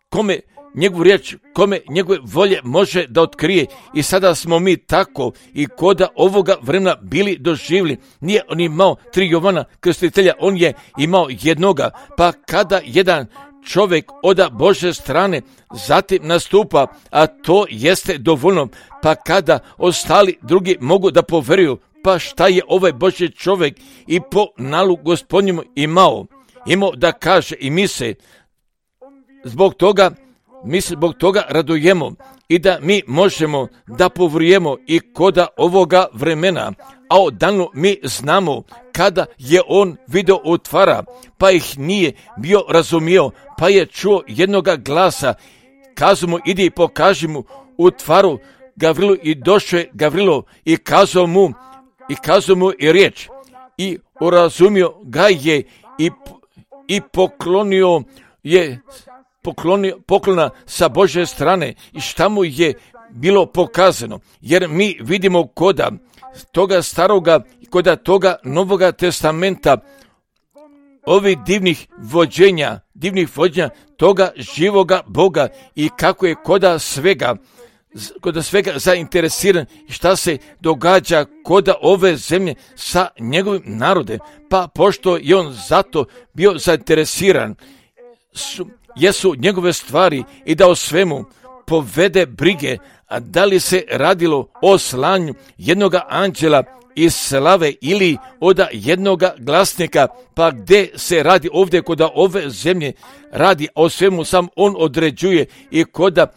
kome njegovu riječ, kome njegove volje može da otkrije. I sada smo mi tako i koda ovoga vremena bili doživjeli. Nije on imao tri Jovana krstitelja, on je imao jednoga. Pa kada jedan čovjek od Božje strane zatim nastupa, a to jeste dovoljno, pa kada ostali drugi mogu da poveruju, pa šta je ovaj Božji čovjek i po nalogu Gospodnjemu imao, imao da kaže i mi se zbog toga Mi se zbog toga radujemo i da mi možemo da povrujemo i koda ovoga vremena, a odavno mi znamo kada je on video otvara, pa ih nije bio razumio, pa je čuo jednoga glasa, kazu mu idi i pokaži mu utvaru Gavrilu i došao je Gavrilo i kazao mu i kazao mu i riječ i urazumio ga je i, i poklonio je Poklonio, poklona sa Božje strane i šta mu je bilo pokazano, jer mi vidimo koda toga staroga i koda toga Novoga testamenta ovih divnih vođenja, divnih vođenja toga živoga Boga i kako je koda svega, koda svega zainteresiran i šta se događa koda ove zemlje sa njegovim narodem, pa pošto je on zato bio zainteresiran, su jesu njegove stvari i da o svemu povede brige, a da li se radilo o slanju jednoga anđela iz slave ili od jednoga glasnika, pa gdje se radi ovdje kod ove zemlje radi o svemu sam on određuje i koda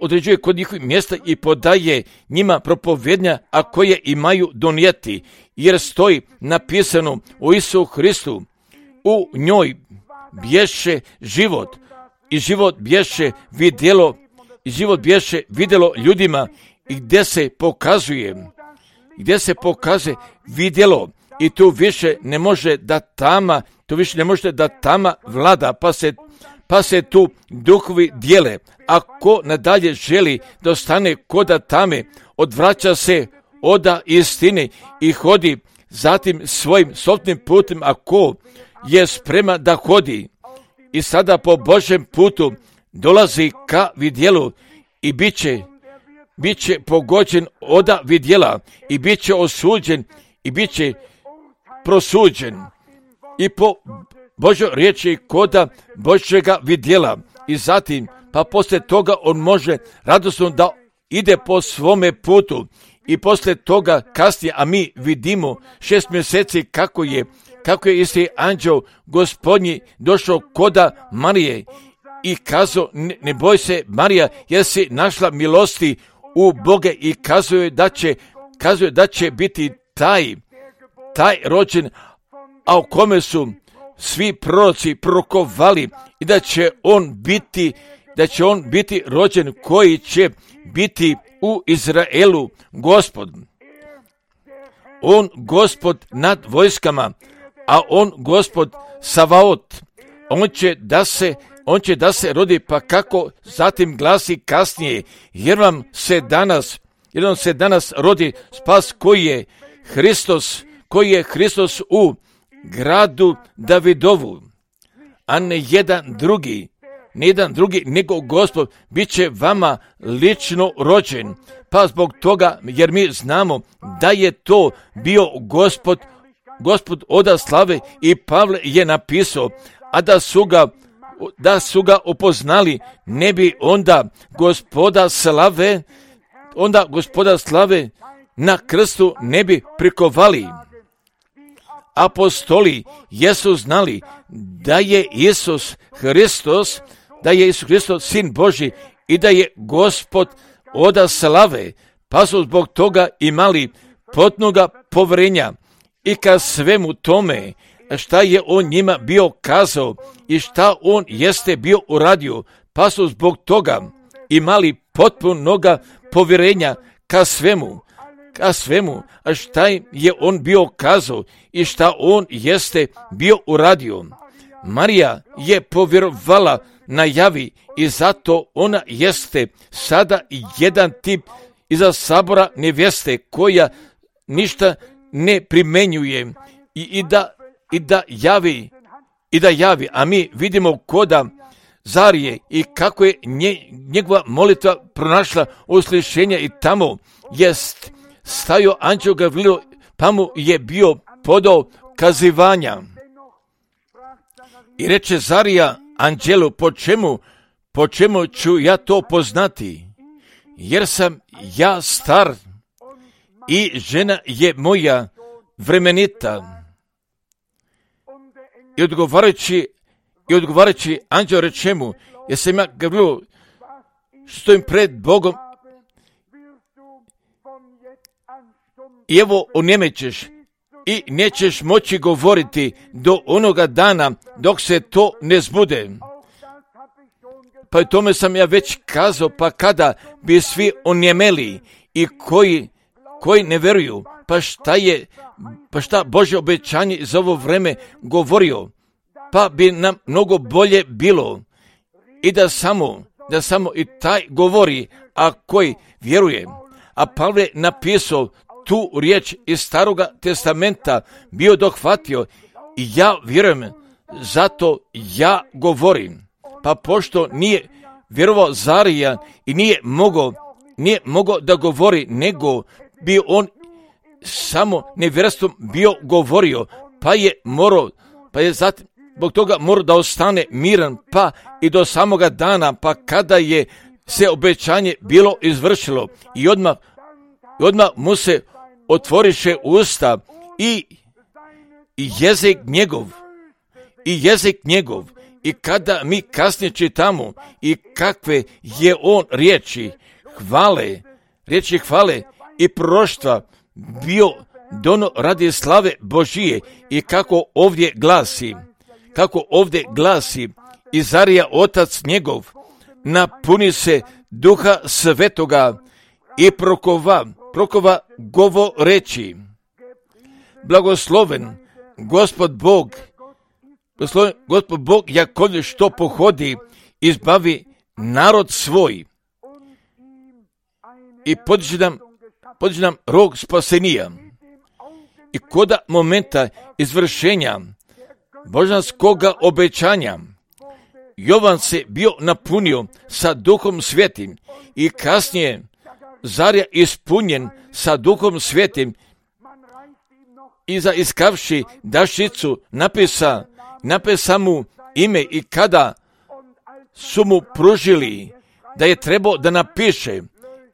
određuje kod njihovih mjesta i podaje njima propovjednja, a koje imaju donijeti, jer stoji napisano o Isusu Hristu, u njoj bješe život i život bješe vidjelo i život bješe vidjelo ljudima i gdje se pokazuje gdje se pokazuje vidjelo i tu više ne može da tama tu više ne može da tama vlada, pa se pa se tu duhovi dijele. Ako nadalje želi da ostane koda tame, odvraća se oda istine i hodi zatim svojim sobstvenim putem, ako je spreman da hodi i sada po Božjem putu dolazi ka vidjelu i bit će, bit će pogođen oda vidjela i bit će osuđen i bit će prosuđen i po Božoj riječi koda Božjega vidjela i zatim pa poslije toga on može radosno da ide po svome putu i poslije toga kasnije, a mi vidimo šest mjeseci kako je kako je isti anđeo Gospodnji došao koda Marije i kazao, ne, ne boj se Marija, jer si našla milosti u Boga i kazuje da će, kazuje da će biti taj, taj rođen, a u kome su svi proroci prorokovali i da će on biti, da će on biti rođen koji će biti u Izraelu Gospod. On Gospod nad vojskama, a on Gospod Savaot, on će da se, on će da se rodi, pa kako zatim glasi kasnije, jer vam se danas, jer vam se danas rodi spas koji je Hristos, koji je Hristos u gradu Davidovu, a ne jedan drugi, ne jedan drugi, nego Gospod bit će vama lično rođen, pa zbog toga, jer mi znamo da je to bio Gospod Gospod oda slave i Pavle je napisao, a da su ga da su ga upoznali, ne bi onda Gospoda slave, onda Gospoda slave na krstu ne bi prikovali. Apostoli jesu znali da je Isus Hristos, da je Isus Hristos Sin Božji i da je Gospod oda slave, pa su zbog toga imali potpunoga poverenja i ka svemu tome šta je on njima bio kazao i šta on jeste bio uradio, pa su zbog toga imali potpunoga povjerenja ka svemu, ka svemu, a šta je on bio kazao i šta on jeste bio uradio. Marija je povjerovala na javi i zato ona jeste sada jedan tip iza sabora nevjeste koja ništa ne primenjuje i, i, da, i da javi i da javi, a mi vidimo koda Zarije i kako je nje, njegova molitva pronašla uslišenja i tamo jest stajao anđeo Gavrilo, pa mu je bio podao kazivanja. I reče Zarija anđelu, po čemu, po čemu ću ja to poznati, jer sam ja star i žena je moja vremenita. I odgovarajući, i odgovarajući anđeo reče mu, jer sam ja Gavrilo, stojim pred Bogom i evo onjemećeš i nećeš moći govoriti do onoga dana dok se to ne zbude. Pa i tome sam ja već kazao, pa kada bi svi onjemeli i koji, koji ne veruju, pa šta je, pa šta Božje obećanje za ovo vreme govorio, pa bi nam mnogo bolje bilo i da samo, da samo i taj govori, a koji vjeruje. A Pavle je napisao tu riječ iz Staroga testamenta, bio dohvatio i ja vjerujem, zato ja govorim. Pa pošto nije vjerovao Zarija i nije mogao, nije mogao da govori, nego bi on samo nevjerstvom bio govorio, pa je morao, pa je zatim zbog toga mora da ostane miran, pa i do samoga dana, pa kada je se obećanje bilo izvršilo i odmah, i odmah mu se otvoriše usta i, i jezik njegov, i jezik njegov, i kada mi kasnije čitamo i kakve je on riječi hvale, riječi hvale i proroštva bio dono radi slave Božije i kako ovdje glasi, kako ovdje glasi, i Zarija otac njegov napuni se Duha Svetoga i prokova, prokova govoreći, blagosloven Gospod Bog, blagosloven Gospod Bog Jakovljev što pohodi, izbavi narod svoj i podiže nam, podiže nam rog spasenija. I koda momenta izvršenja božanskoga obećanja Jovan se bio napunio sa Duhom Svetim i kasnije Zarija ispunjen sa Duhom Svetim i za iskavši dašicu napisa, napisa mu ime i kada su mu pružili da je trebao da napiše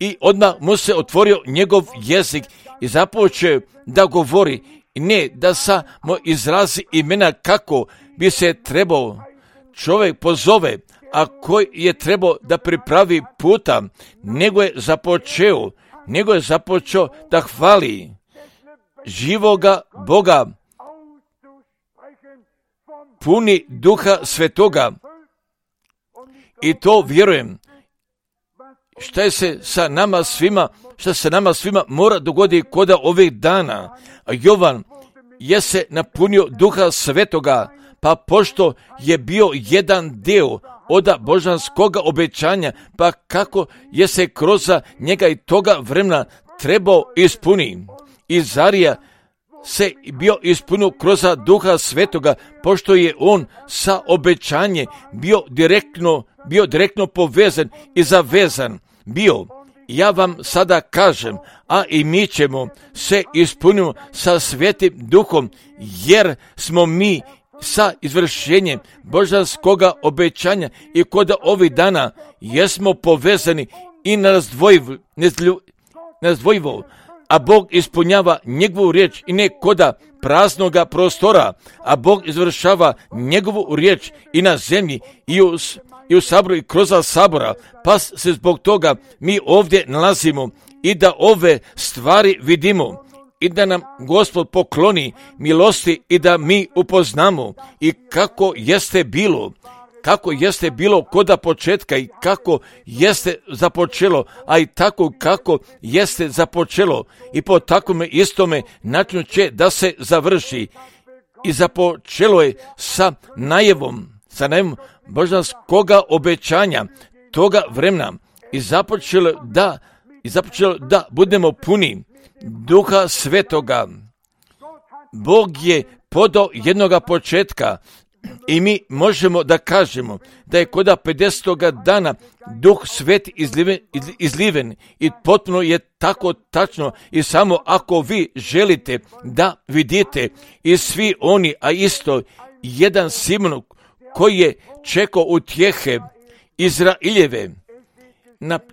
i odmah mu se otvorio njegov jezik i započeo da govori i ne da samo izrazi imena kako bi se trebao čovjek pozove, a koji je trebao da pripravi puta, nego je započeo, nego je započeo da hvali živoga Boga, puni Duha Svetoga. I to vjerujem, šta je se sa nama svima, šta se nama svima mora dogoditi koda ovih dana. A Jovan je se napunio Duha Svetoga, pa pošto je bio jedan dio oda božanskoga obećanja, pa kako je se kroz njega i toga vremena trebao ispuni. I Zarija se bio ispunio kroz Duha Svetoga, pošto je on sa obećanje bio direktno, bio direktno povezan i zavezan bio. ja vam sada kažem, a i mi ćemo se ispuniti sa Svetim Duhom, jer smo mi sa izvršenjem božanskoga obećanja i kod ovih dana jesmo povezani i nerazdvojivo, a Bog ispunjava njegovu riječ i ne koda praznoga prostora, a Bog izvršava njegovu riječ i na zemlji i u, i u saboru i kroz sabora, pa se zbog toga mi ovdje nalazimo i da ove stvari vidimo i da nam Gospod pokloni milosti i da mi upoznamo i kako jeste bilo, kako jeste bilo koda početka i kako jeste započelo, a i tako kako jeste započelo i po takvome istome načinu će da se završi. I započelo je sa najevom, sa najevom božanskoga obećanja toga vremena i započelo da, i započelo da budemo puni Duha Svetoga. Bog je podao jednoga početka i mi možemo da kažemo da je koda pedesetoga dana Duh Sveti izliven, izliven i potpuno je tako tačno i samo ako vi želite da vidite i svi oni, a isto jedan Simon koji je čekao utjehe Izraeljeve,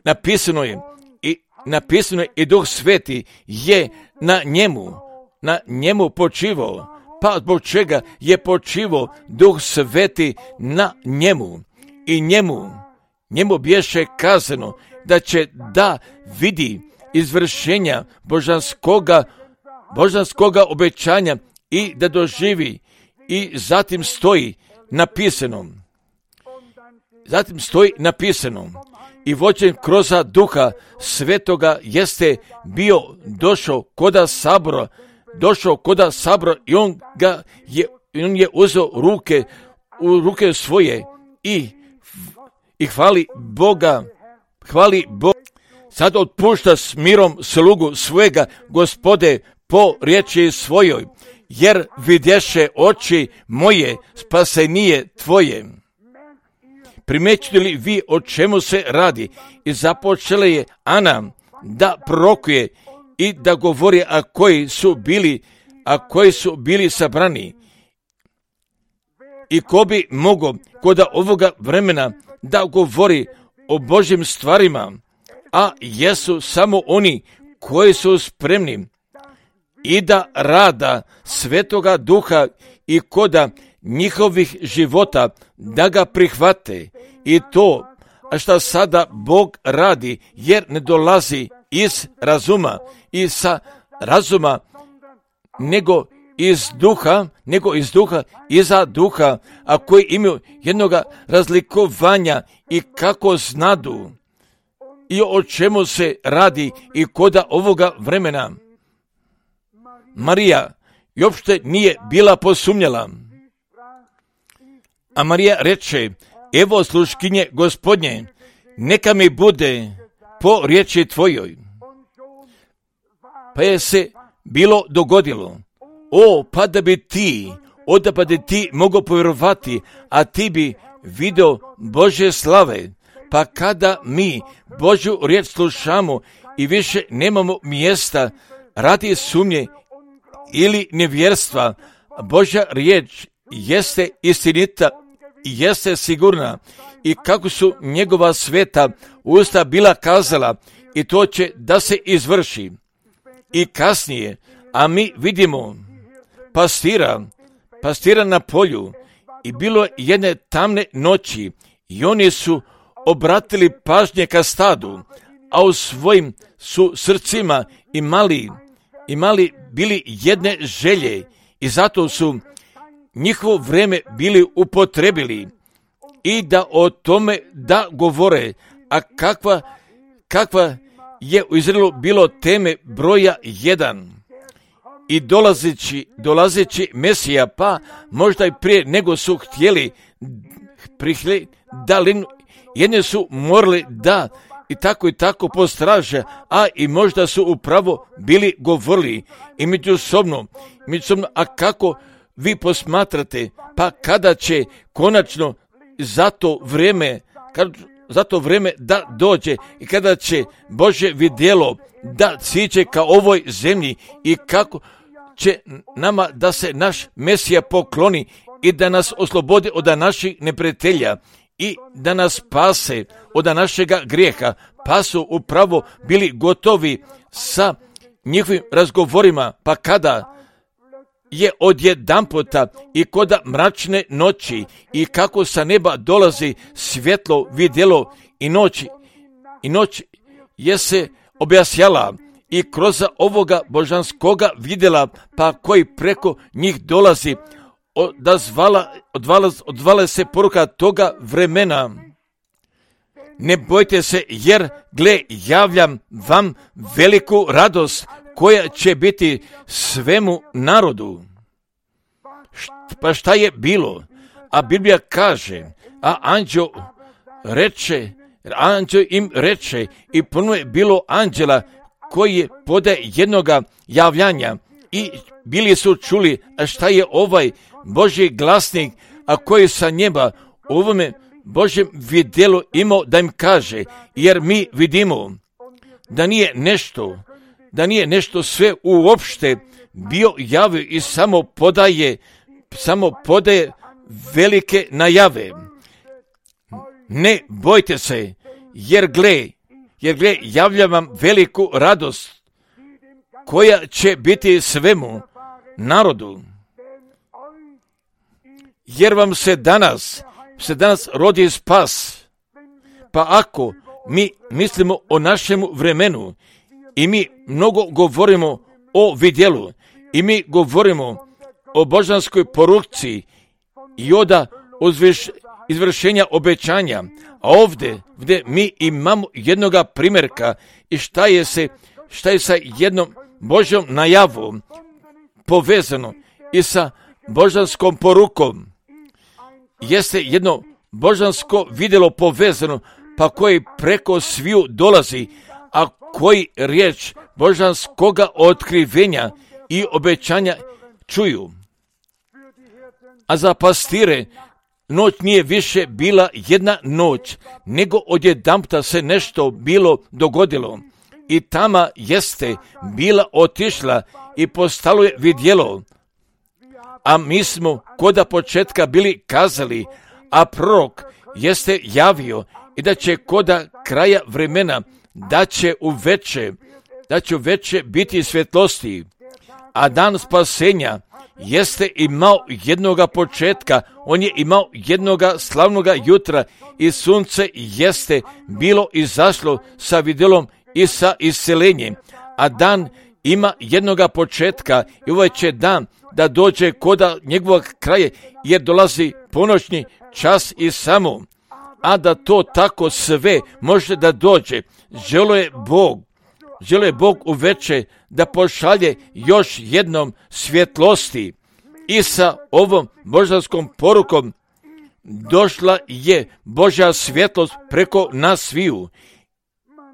napisano je i napisano je i Duh Sveti je na njemu, na njemu počivao. Pa zbog čega je počivao Duh Sveti na njemu i njemu, njemu biješe kazano da će da vidi izvršenja božanskoga, božanskoga obećanja i da doživi i zatim stoji napisano, zatim stoji napisano i vođen kroz Duha Svetoga jeste bio došao koda sabora, došao koda sabora i on ga je, on je uzeo ruke, u ruke svoje i, i hvali Boga, hvali Boga. Sad otpušta s mirom slugu svojega Gospode po riječi svojoj, jer vidješe oči moje spasenije tvoje. Primećujete li vi o čemu se radi? I započela je Ana da prorokuje i da govori, a koji su bili, a koji su bili sabrani. I ko bi mogao koda ovoga vremena da govori o Božjim stvarima, a jesu samo oni koji su spremni i da rada Svetoga Duha i koda njihovih života da ga prihvate i to, a šta sada Bog radi, jer ne dolazi iz razuma i sa razuma, nego iz duha, nego iz duha, iza duha, a koji imaju jednoga razlikovanja i kako znadu i o čemu se radi i koda ovoga vremena. Marija i uopšte nije bila posumnjala. A Marija reče, evo sluškinje Gospodnje, neka mi bude po riječi tvojoj. Pa je se bilo dogodilo, o, pa da bi ti, o da pa da ti mogao povjerovati, a ti bi video Božje slave. Pa kada mi Božju riječ slušamo i više nemamo mjesta radi sumnje ili nevjerstva, Božja riječ jeste istinita i jeste sigurna i kako su njegova sveta usta bila kazala i to će da se izvrši. I kasnije, a mi vidimo pastira, pastira na polju i bilo je jedne tamne noći i oni su obratili pažnje ka stadu, a u svojim su srcima imali, imali bili jedne želje i zato su njihovo vreme bili upotrebili i da o tome da govore, a kakva, kakva je u Izraelu bilo teme broja jedan. I dolazeći, dolazeći Mesija, pa možda i prije nego su htjeli prihli, da li jedne su morali da i tako i tako postraže, a i možda su upravo bili govorili i međusobno, međusobno, a kako vi posmatrate, pa kada će konačno za to vrijeme, kad, za to vrijeme da dođe i kada će Božje vidjelo da siđe ka ovoj zemlji i kako će nama da se naš Mesija pokloni i da nas oslobodi od naših neprijatelja i da nas spase od našega grijeha, pa su upravo bili gotovi sa njihovim razgovorima, pa kada je odjedanputa i koda mračne noći i kako sa neba dolazi svjetlo vidjelo i noć, i noć je se objasnjala i kroz ovoga božanskoga vidjela, pa koji preko njih dolazi, odazvala, odvala, odvala se poruka toga vremena. Ne bojte se, jer gle, javljam vam veliku radost koja će biti svemu narodu. Pa šta je bilo? A Biblija kaže, a anđeo reče, anđeo im reče i puno je bilo anđela koji je pode jednoga javljanja i bili su čuli, a šta je ovaj Božji glasnik, a koji sa njeba u ovome Božjem vidjelu imao da im kaže, jer mi vidimo da nije nešto, da nije nešto sve uopšte bio javio i samo podaje, samo podaje velike najave. Ne bojte se, jer gle, jer gle, javljam vam veliku radost koja će biti svemu narodu. Jer vam se danas, se danas rodi spas. Pa ako mi mislimo o našemu vremenu i mi mnogo govorimo o vidjelu i mi govorimo o božanskoj poruci i oda izvršenja obećanja, a ovdje, ovdje mi imamo jednoga primjerka i šta je se, šta je sa jednom Božjom najavom povezano i sa božanskom porukom. Jeste jedno božansko vidjelo povezano, pa koji preko sviju dolazi, a koji riječ božanskoga otkrivenja i obećanja čuju. A za pastire noć nije više bila jedna noć, nego odjedanputa se nešto bilo dogodilo. I tama jeste bila otišla i postalo je vidjelo. A mi smo koda početka bili kazali, a prorok jeste javio i da će koda kraja vremena, da će u veče, da će u veče biti svjetlosti. A dan spasenja jeste imao jednoga početka, on je imao jednoga slavnoga jutra i sunce jeste bilo izašlo sa vidjelom i sa iscelenjem. A dan ima jednoga početka i ovaj će dan da dođe koda njegovog kraja, jer dolazi ponoćni čas i samo. A da to tako sve može da dođe, želo je Bog, želo je Bog uveče da pošalje još jednom svjetlosti. I sa ovom božanskom porukom došla je Božja svjetlost preko nas sviju.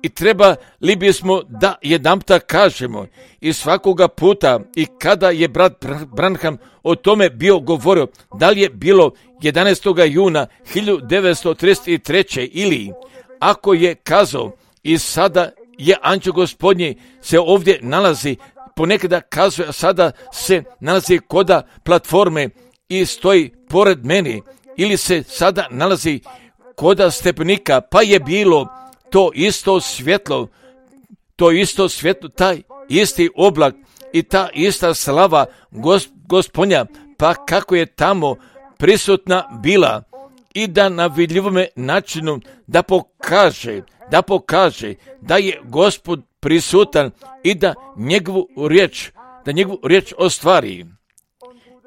I treba li bismo da jedanputa kažemo i svakoga puta i kada je brat Branham o tome bio govorio, da li je bilo jedanaestog juna hiljadu devetsto trideset treće ili ako je kazao i sada je anđeo Gospodnji se ovdje nalazi, ponekada kazuje, a sada se nalazi koda platforme i stoji pored meni, ili se sada nalazi koda stepenika, pa je bilo to isto svjetlo, to isto svjetlo, taj isti oblak i ta ista slava gos, Gospodnja, pa kako je tamo prisutna bila i da na vidljivome načinu da pokaže, da pokaže da je Gospod prisutan i da njegovu riječ, da njegovu riječ ostvari.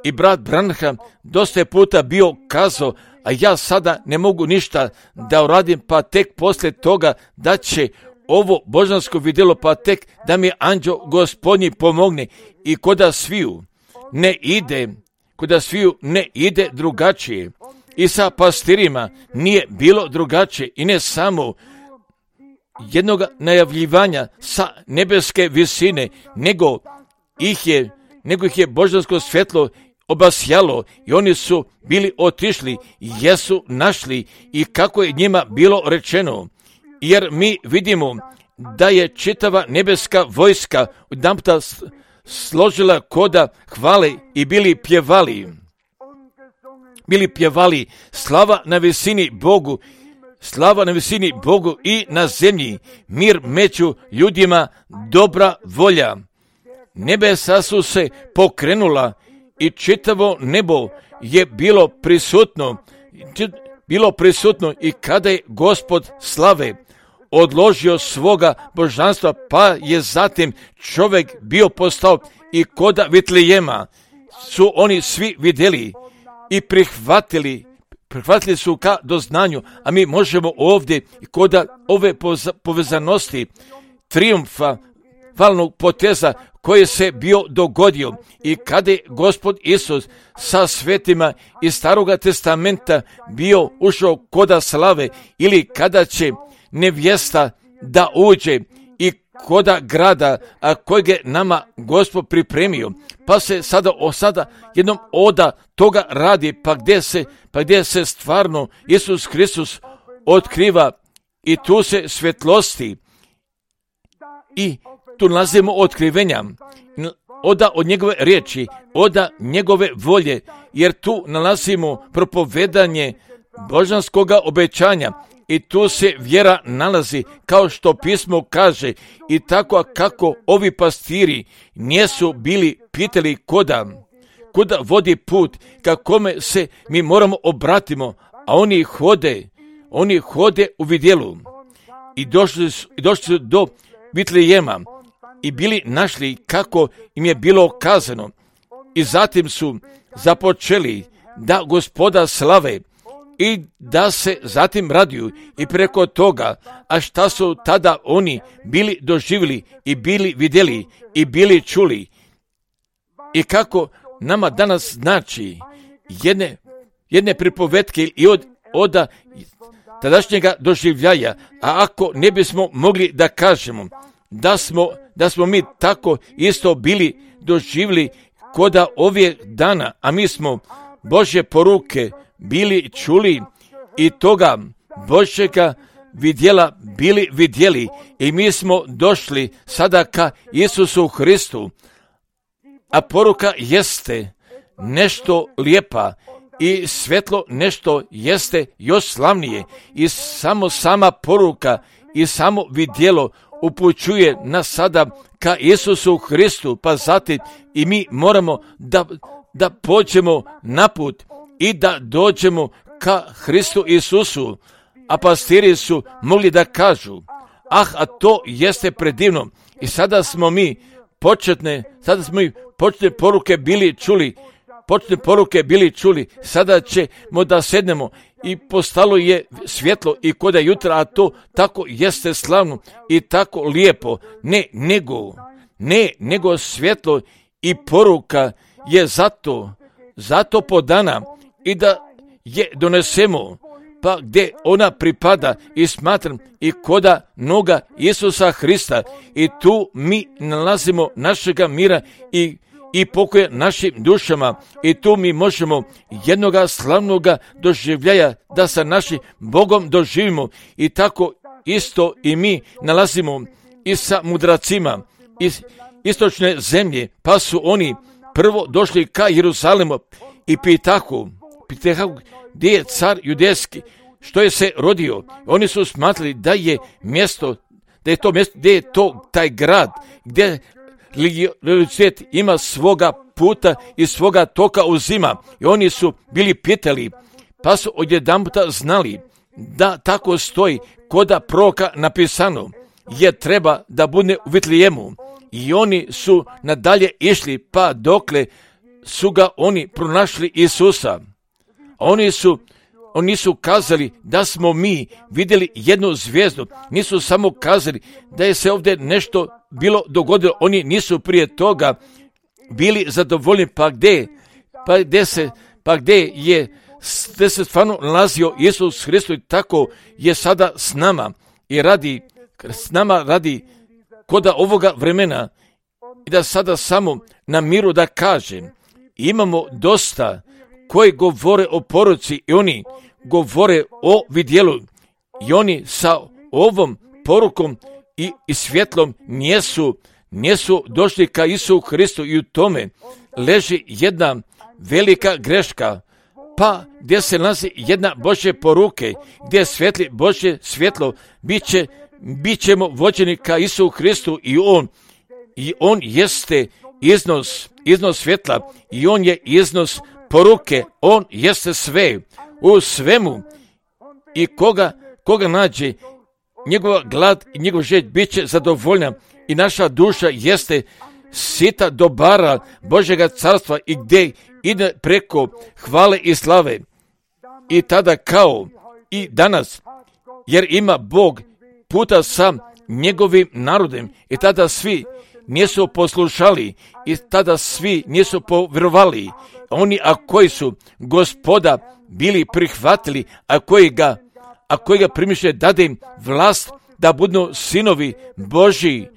I brat Branham dosta je puta bio kazao, a ja sada ne mogu ništa da uradim, pa tek poslije toga da će ovo božansko vidjelo, pa tek da mi anđeo Gospodnji pomogne i koda sviju ne ide, koda sviju ne ide drugačije. I sa pastirima nije bilo drugačije i ne samo jednog najavljivanja sa nebeske visine, nego ih je, nego ih je božansko svjetlo obasjalo i oni su bili otišli, jesu našli i kako je njima bilo rečeno. Jer mi vidimo da je čitava nebeska vojska odjedanputa složila koda hvale i bili pjevali. Bili pjevali slava na visini Bogu, slava na visini Bogu i na zemlji, mir među ljudima, dobra volja. Nebesa su se pokrenula i čitavo nebo je bilo prisutno, bilo prisutno i kada je Gospod slave odložio svoga božanstva, pa je zatim čovjek bio postao i koda Vitlejema su oni svi vidjeli i prihvatili, prihvatili su ka doznanju, a mi možemo ovdje koda ove povezanosti trijumfa, valnog poteza koji se bio dogodio i kada je Gospod Isus sa svetima iz Staroga testamenta bio ušao koda slave ili kada će nevjesta da uđe i koda grada a kojeg je nama Gospod pripremio, pa se sada o sada jednom oda toga radi, pa gdje se, pa gdje se stvarno Isus Hristos otkriva i tu se svjetlosti i tu nalazimo otkrivenja, oda od njegove riječi, oda njegove volje, jer tu nalazimo propovedanje božanskoga obećanja i tu se vjera nalazi, kao što pismo kaže, i tako kako ovi pastiri nisu bili pitali koda, kuda vodi put, ka kome se mi moramo obratimo, a oni hode, oni hode u vidjelu i došli su, i došli su do Vitlejema i bili našli kako im je bilo kazano i zatim su započeli da Gospoda slave i da se zatim raduju i preko toga, a šta su tada oni bili doživjeli i bili vidjeli i bili čuli i kako nama danas znači jedne, jedne pripovetke i od oda tadašnjega doživljaja, a ako ne bismo mogli da kažemo da smo, da smo mi tako isto bili doživjeli koda ovih dana, a mi smo Božje poruke bili čuli i toga Božjega vidjela bili vidjeli i mi smo došli sada ka Isusu Hristu, a poruka jeste nešto lijepa i svjetlo nešto jeste još slavnije i samo sama poruka i samo vidjelo upućuje nas sada ka Isusu Hristu, pa zatim i mi moramo da, da pođemo na put i da dođemo ka Hristu Isusu, a pastiri su mogli da kažu, ah, a to jeste predivno i sada smo mi početne, sada smo mi početne poruke bili čuli, početne poruke bili čuli, sada ćemo da sednemo i postalo je svjetlo i koda jutra, a to tako jeste slavno i tako lijepo, ne nego, ne nego svjetlo i poruka je zato, zato podana i da je donesemo, pa gdje ona pripada i smatram i koda noga Isusa Hrista i tu mi nalazimo našega mira i i pokoje našim dušama i tu mi možemo jednoga slavnoga doživljaja da sa našim Bogom doživimo i tako isto i mi nalazimo i sa mudracima iz istočne zemlje, pa su oni prvo došli ka Jeruzalemu i pitahu, pitahu gdje je car judejski, što je se rodio. Oni su smatrali da je mjesto, da je to mjesto, gdje je to taj grad, gdje religiositet ima svoga puta i svoga toka uzima. I oni su bili pitali, pa su odjedanputa znali da tako stoji koda proroka napisano, je treba da bude u Vitlejemu. I oni su nadalje išli, pa dokle su ga oni pronašli Isusa. Oni su Oni su kazali da smo mi vidjeli jednu zvijezdu. Nisu samo kazali da je se ovdje nešto bilo dogodilo. Oni nisu prije toga bili zadovoljni. Pa gdje, pa gdje, se, pa gdje je gdje se stvarno nalazio Isus Hristos, tako je sada s nama i radi, s nama radi koda ovoga vremena i da sada samo na miru da kažem imamo dosta koji govore o poruci i oni govore o vidjelu i oni sa ovom porukom i, i svjetlom nijesu, nijesu došli ka Isusu Hristu i u tome leži jedna velika greška. Pa gdje se nalazi jedna Božje poruke, gdje svetli Božje svjetlo, bit, će, bit ćemo vođeni ka Isusu Hristu i On, i On jeste iznos, iznos svjetla i On je iznos poruke, On jeste sve, u svemu i koga, koga nađe, njegova glad i njegov želj bit će zadovoljna i naša duša jeste sita dobara Božjega carstva i gdje ide preko hvale i slave. I tada kao i danas, jer ima Bog puta sa njegovim narodem i tada svi nisu poslušali i tada svi nisu povjerovali. Oni a koji su Gospoda bili prihvatili, a koji ga, a koji ga primiše dade im vlast da budu sinovi Božji,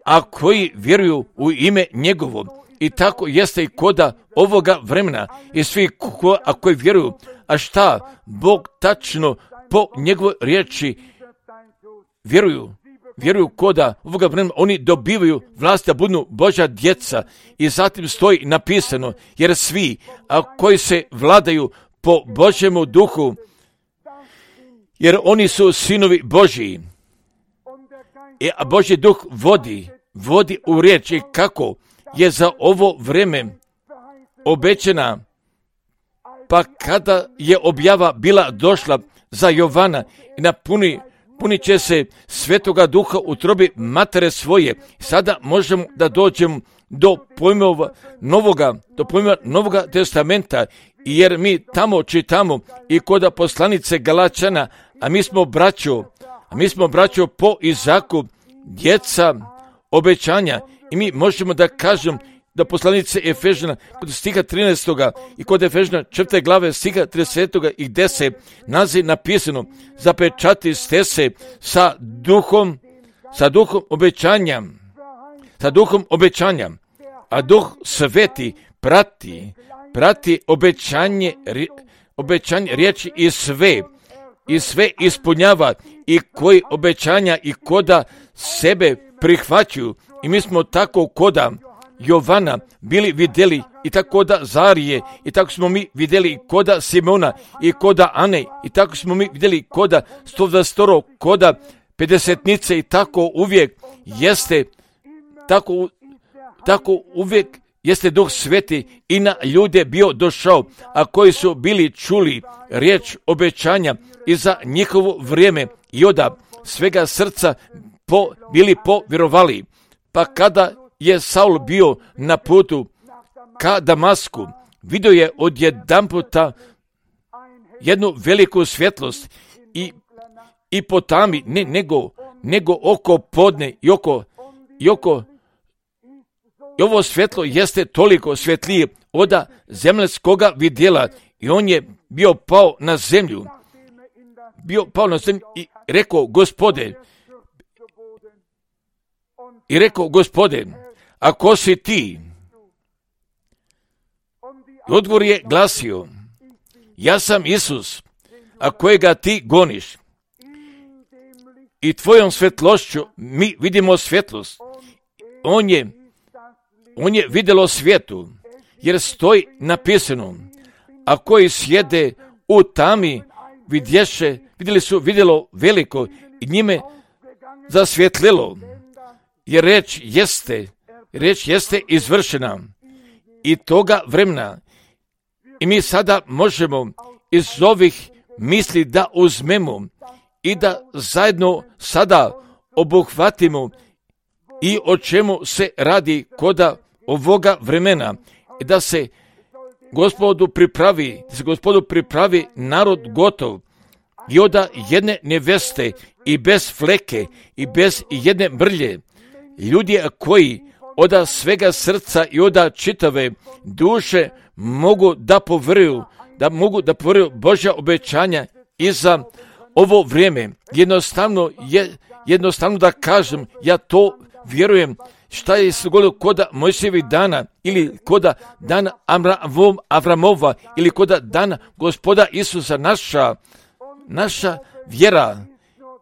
a koji vjeruju u ime njegovo. I tako jeste i koda ovoga vremena i svi ko, a koji vjeruju, a šta Bog tačno po njegovoj riječi vjeruju, vjeruju koda ovoga vremena, oni dobivaju vlast da budu Božja djeca i zatim stoji napisano, jer svi a koji se vladaju po Božjemu duhu, jer oni su sinovi Božji. I, a Božji duh vodi, vodi u riječi kako je za ovo vrijeme obećana, pa kada je objava bila došla za Jovana i napuni, punit će se Svetoga Duha u trobi matere svoje. Sada možemo da dođemo do pojmova novoga, do pojmova Novoga testamenta, jer mi tamo čitamo i kod poslanice Galačana, a mi smo braćo, a mi smo braćo po Izaku, djeca obećanja, i mi možemo da kažem da poslanice Efežana kod stiha trinaestog i kod Efežana četvrte glave stiha tridesetog i gdje se nalazi napisano, zapečati ste se sa duhom, sa duhom obećanja, sa duhom obećanja, a Duh Sveti prati, prati obećanje, obećanje riječi i sve, i sve ispunjava i koji obećanja i koda sebe prihvaćaju. I mi smo tako koda Jovana bili vidjeli i tako koda Zarije i tako smo mi vidjeli koda Simona i koda Ane i tako smo mi vidjeli koda sto dvadeset koda pedesetnice i tako uvijek jeste, tako, tako uvijek jeste Duh Sveti i na ljude bio došao, a koji su bili čuli riječ obećanja i za njihovo vrijeme i oda svega srca po, bili povjerovali. Pa kada je Saul bio na putu ka Damasku, vidio je odjedanputa jednu veliku svjetlost i, i po tami, ne, nego, nego oko podne i oko, i oko i ovo svjetlo jeste toliko svjetlije oda zemaljskoga vidjela i on je bio pao na zemlju, bio pao na zemlju i rekao, Gospode, i rekao, Gospode, a ko si ti? I odgovor je glasio, ja sam Isus, a kojega ti goniš. I tvojom svjetlošću mi vidimo svjetlost. On je, on je vidjelo svijetu, jer stoji napisano, a koji sjede u tami vidješe, vidjeli su vidjelo veliko i njime zasvjetlilo. Jer reč jeste, reč jeste izvršena i toga vremena. I mi sada možemo iz ovih misli da uzmemo i da zajedno sada obuhvatimo i o čemu se radi koda ovoga vremena. I da se Gospodu pripravi, da se Gospodu pripravi narod gotov i oda jedne neveste i bez fleke i bez jedne mrlje. Ljudi koji oda svega srca i oda čitave duše mogu da povjeruju, da mogu da povjeruju Božja obećanja i za ovo vrijeme. Jednostavno je, jednostavno da kažem, ja to vjerujem, šta je se dogodilo koda Mojsijevih dana ili koda dana Avram, Avramova ili koda dana Gospoda Isusa, naša, naša vjera.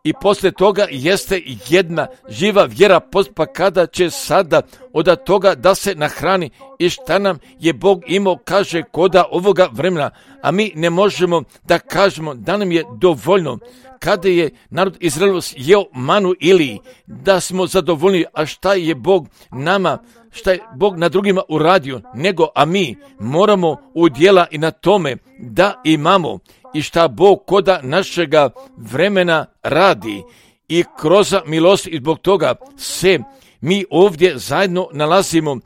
I poslije toga jeste jedna živa vjera, pa kada će sada od toga da se nahrani i šta nam je Bog imao, kaže koda ovoga vremena, a mi ne možemo da kažemo da nam je dovoljno. Kada je narod Izraelov jeo manu ili da smo zadovoljni, a šta je Bog nama, šta je Bog na drugima uradio, nego a mi moramo udjela i na tome da imamo i šta Bog koda našega vremena radi i kroz milost, i zbog toga se mi ovdje zajedno nalazimo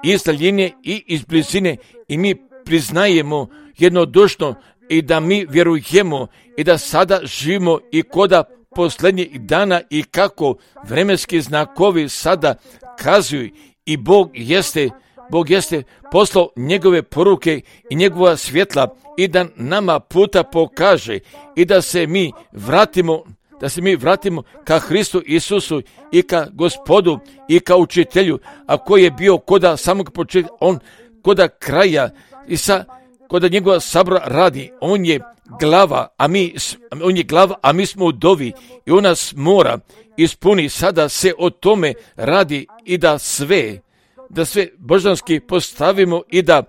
iz daljine i iz blizine i mi priznajemo jednodušno i da mi vjerujemo i da sada živimo i koda posljednjih dana i kako vremenski znakovi sada kazuju i Bog jeste, Bog jeste poslao njegove poruke i njegova svjetla i da nama puta pokaže i da se mi vratimo, da se mi vratimo ka Hristu Isusu i ka Gospodu i ka učitelju, a koji je bio koda samog početka, on koda kraja i sa koda njegova sabora radi, on je glava, a mi, on je glava, a mi smo udovi i on nas mora ispuni. Sada se o tome radi i da sve, da sve božanski postavimo i da,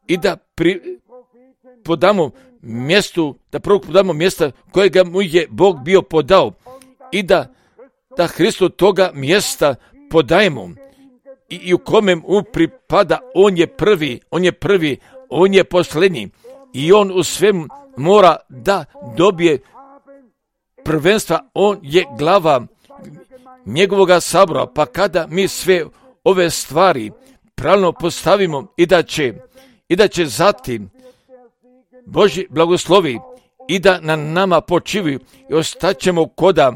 i da pri, podamo mjestu, da prvo podamo mjesta kojega mu je Bog bio podao i da, da Hristu toga mjesta podajemo i, i u kome mu pripada, on je prvi, on je prvi, on je posljednji i on u svemu mora da dobije prvenstva, on je glava njegovoga sabora, pa kada mi sve ove stvari pravilno postavimo i da će, i da će zatim Božji blagoslovi i da na nama počivaju i ostaćemo koda,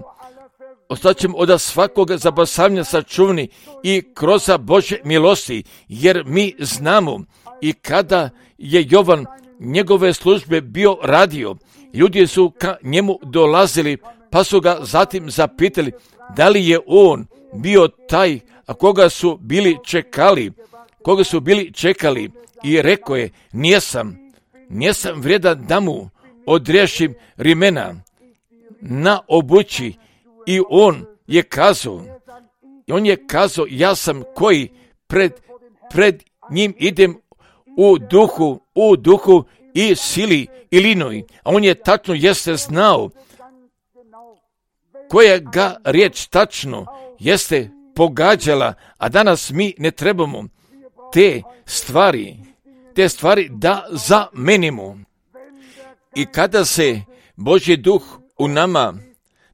ostaćemo od svakoga zabasavanja sačuvani i kroz Božje milosti, jer mi znamo i kada je Jovan njegove službe bio radio, ljudi su ka njemu dolazili, pa su ga zatim zapitali da li je on bio taj, a koga su bili čekali, koga su bili čekali i rekao je, nijesam, nijesam vrijedan da mu odriješim rimena na obući i on je kazao, on je kazao, ja sam koji pred, pred njim idem u duhu, u duhu i sili i linoj, a on je tačno jeste znao koja ga riječ tačno jeste pogađala, a danas mi ne trebamo te stvari, te stvari da zamenimo. I kada se Božji duh u nama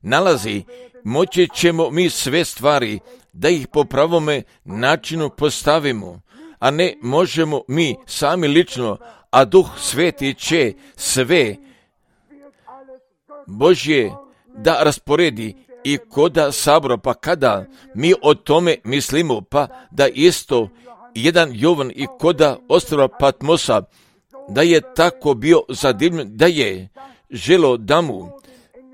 nalazi, moći ćemo mi sve stvari da ih po pravome načinu postavimo, a ne možemo mi sami lično, a Duh Sveti će sve Božje da rasporedi i koda sabora, pa kada mi o tome mislimo, pa da isto jedan Jovan i koda ostrva Patmosa, da je tako bio zadivljen, da je želo da mu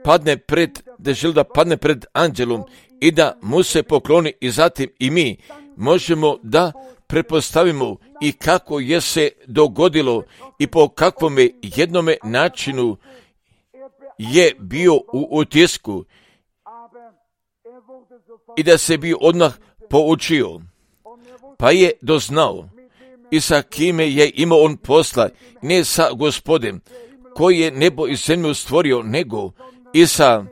padne pred, da je želo da padne pred anđelom i da mu se pokloni i zatim i mi možemo da pretpostavimo i kako je se dogodilo i po kakvome jednome načinu je bio u utisku i da se bi odmah poučio, pa je doznao i sa kime je imao on posla, ne sa Gospodem koji je nebo i zemlju stvorio, nego i sa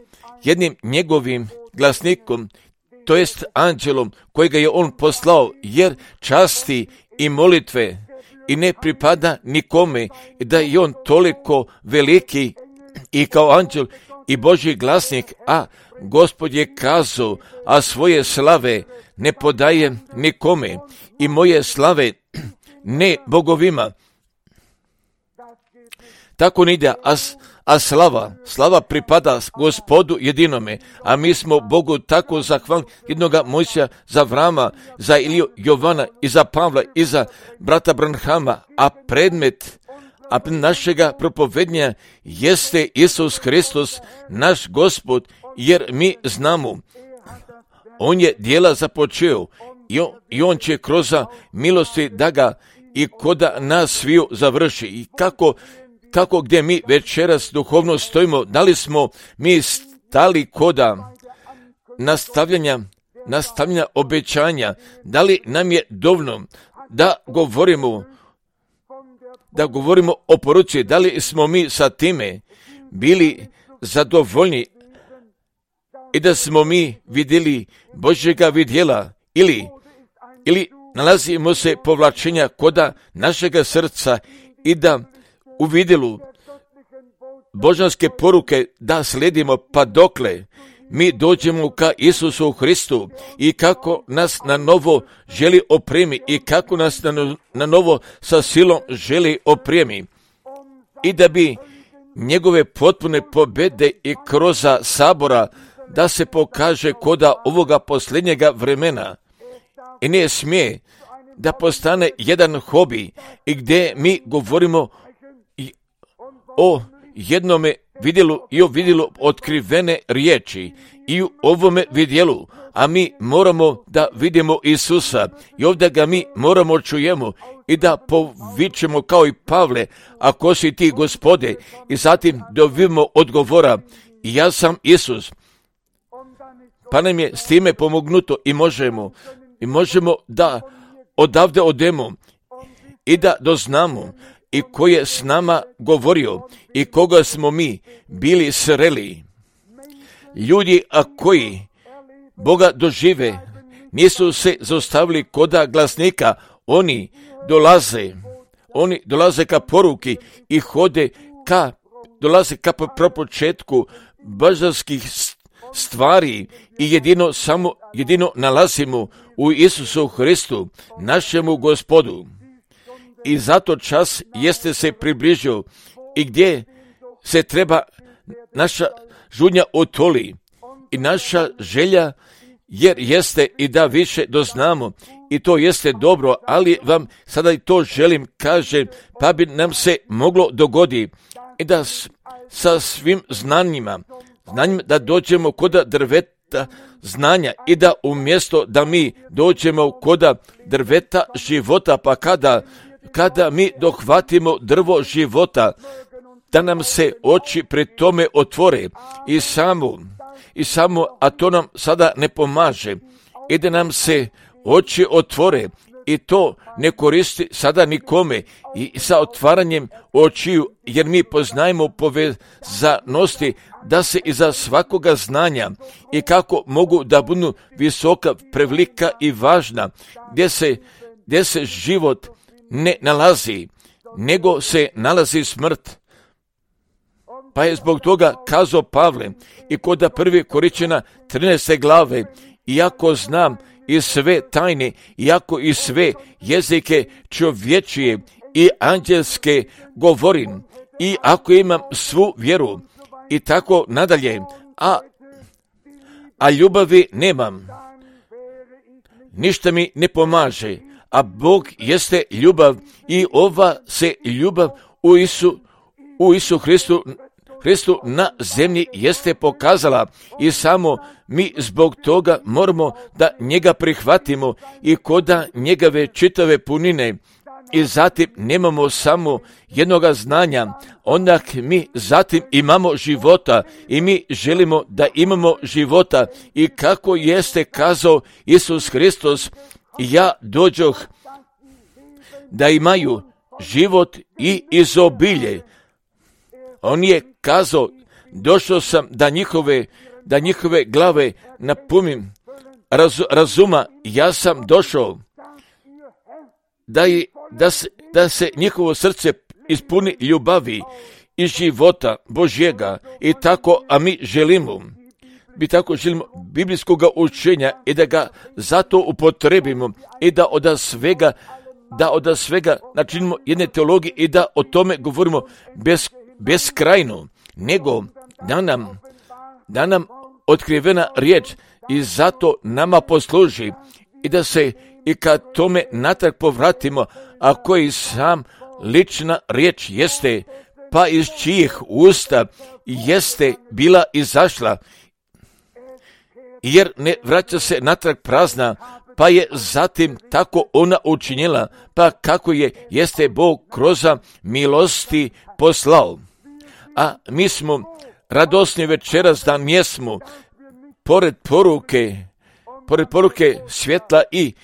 jednim njegovim glasnikom, to jest anđelom kojega je on poslao, jer časti i molitve i ne pripada nikome, da je on toliko veliki i kao anđel i Božji glasnik, a Gospod je kazao, a svoje slave ne podaje nikome i moje slave ne bogovima. Tako ne ide, a, a slava, slava pripada Gospodu jedinome, a mi smo Bogu tako zahvalni jednoga Mojsija, za Avrama, za Iliju, Jovana i za Pavla i za brata Branhama, a predmet a našega propovednja jeste Isus Hristos, naš Gospod, jer mi znamo, On je dijela započeo i on, i on će kroz milosti da ga i koda nas sviju završi. I kako, kako gdje mi večeras duhovno stojimo, da li smo mi stali koda nastavljanja, nastavljanja obećanja, da li nam je dovoljno da govorimo, da govorimo o poruci, da li smo mi sa time bili zadovoljni i da smo mi vidjeli Božjega vidjela ili, ili nalazimo se povlačenja koda našega srca i da u vidjelu božanske poruke da slijedimo pa dokle mi dođemo ka Isusu Hristu i kako nas na novo želi opremi i kako nas na, na novo sa silom želi opremi i da bi njegove potpune pobjede i kroz sabora da se pokaže koda ovoga posljednjega vremena i ne smije da postane jedan hobi i gdje mi govorimo o jednome vidjelu i o vidjelu otkrivene riječi i u ovome vidjelu, a mi moramo da vidimo Isusa i ovdje ga mi moramo čujemo i da povičemo kao i Pavle, ako si ti Gospode, i zatim dobijemo odgovora, ja sam Isus. Pa nam je s time pomognuto i možemo, i možemo da odavde odemo i da doznamo i ko je s nama govorio i koga smo mi bili sreli. Ljudi, a koji Boga dožive, nisu se zaustavili koda glasnika, oni dolaze, oni dolaze ka poruki i hode ka, dolaze ka propočetku božanskih stvari i jedino samo, jedino nalazimo u Isusu Hristu, našemu Gospodu. I zato čas jeste se približio i gdje se treba naša žudnja otoli i naša želja, jer jeste i da više doznamo i to jeste dobro, ali vam sada i to želim kažem, pa bi nam se moglo dogoditi i da s, sa svim znanjima, znanjima da dođemo koda drveta znanja i da umjesto da mi dođemo koda drveta života, pa kada kada mi dohvatimo drvo života, da nam se oči pred tome otvore i samo, i samo, a to nam sada ne pomaže, i da nam se oči otvore i to ne koristi sada nikome i sa otvaranjem očiju, jer mi poznajemo povezanosti da se iza svakoga znanja i kako mogu da budu visoka, prevelika i važna, gdje se, gdje se život ne nalazi, nego se nalazi smrt. Pa je zbog toga kazao Pavle i koda prvi Korinćana trinaeste glave, iako znam i sve tajne, iako i sve jezike čovječije i anđelske govorim, i ako imam svu vjeru i tako nadalje, a, a ljubavi nemam, ništa mi ne pomaže. A Bog jeste ljubav i ova se ljubav u Isu, u Isu Hristu, Hristu na zemlji jeste pokazala i samo mi zbog toga moramo da njega prihvatimo i koda njegove čitave punine i zatim nemamo samo jednoga znanja, onda mi zatim imamo života i mi želimo da imamo života i kako jeste kazao Isus Hristos, ja dođoh da imaju život i izobilje. On je kazao, došao sam da njihove, da njihove glave napunim raz, razuma, ja sam došao da, je, da, se, da se njihovo srce ispuni ljubavi i života Božjega i tako, a mi želimo. Mi tako želimo biblijskog učenja i da ga zato upotrebimo i da od svega, da od svega načinimo jedne teologije i da o tome govorimo bez, beskrajno, nego da nam, da nam otkrivena riječ i zato nama posluži i da se i kad tome natrag povratimo, a koji sam lična riječ jeste, pa iz čijih usta jeste bila izašla jer ne vraća se natrag prazna, pa je zatim tako ona učinila, pa kako je jeste Bog kroz milosti poslao. A mi smo radosni večeras da mjesmo, pored poruke, pored poruke svjetla i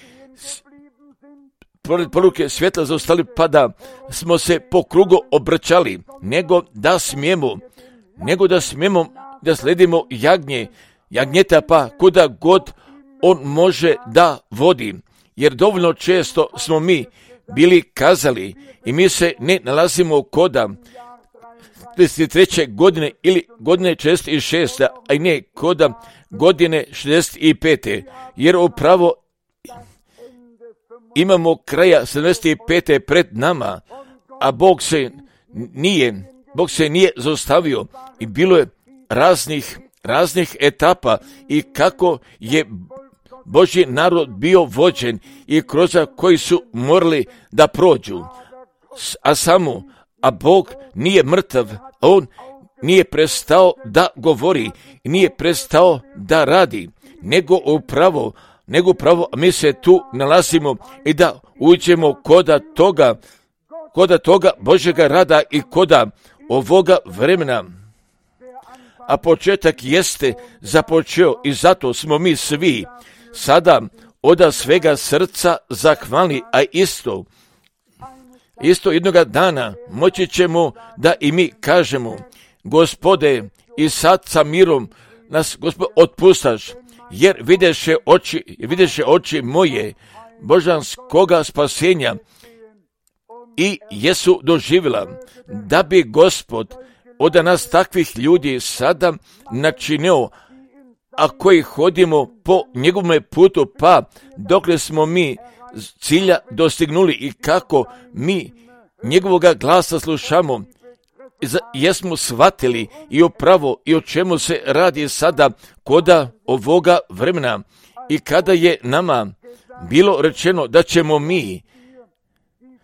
pored poruke svjetla zaostali, pa da smo se po krugu obraćali, nego da smijemo, nego da smijemo da sledimo jagnje, jagnjeta, pa kuda god on može da vodi. Jer dovoljno često smo mi bili kazali i mi se ne nalazimo koda trideset treće godine ili godine šezdeset šeste, a i ne koda godine šezdeset pete. Jer upravo imamo kraja sedamdeset pete pred nama, a Bog se nije, Bog se nije zaustavio i bilo je raznih, raznih etapa i kako je Božji narod bio vođen i kroz koji su morali da prođu. A samo, a Bog nije mrtav, on nije prestao da govori, nije prestao da radi, nego upravo, nego upravo mi se tu nalazimo i da uđemo koda toga, koda toga Božjega rada i koda ovoga vremena. A početak jeste započeo i zato smo mi svi sada od svega srca zahvalni, a isto, isto jednoga dana moći ćemo da i mi kažemo: Gospode, i sad sa mirom nas, Gospod, otpustaš, jer videše oči, videše oči moje božanskoga spasenja i jesu doživjela, da bi Gospod od nas takvih ljudi sada načinio, a koji hodimo po njegovom putu, pa dokle smo mi cilja dostignuli i kako mi njegovoga glasa slušamo, jesmo shvatili i upravo i o čemu se radi sada koda ovoga vremena. I kada je nama bilo rečeno da ćemo mi,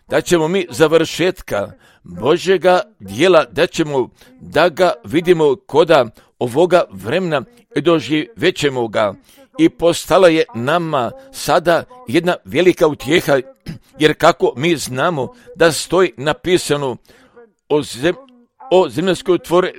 da ćemo mi završetka Božjega dijela, da ćemo da ga vidimo koda ovoga vremena i doživećemo ga. I postala je nama sada jedna velika utjeha, jer kako mi znamo da stoji napisano o, zem, o zemaljskoj tvore,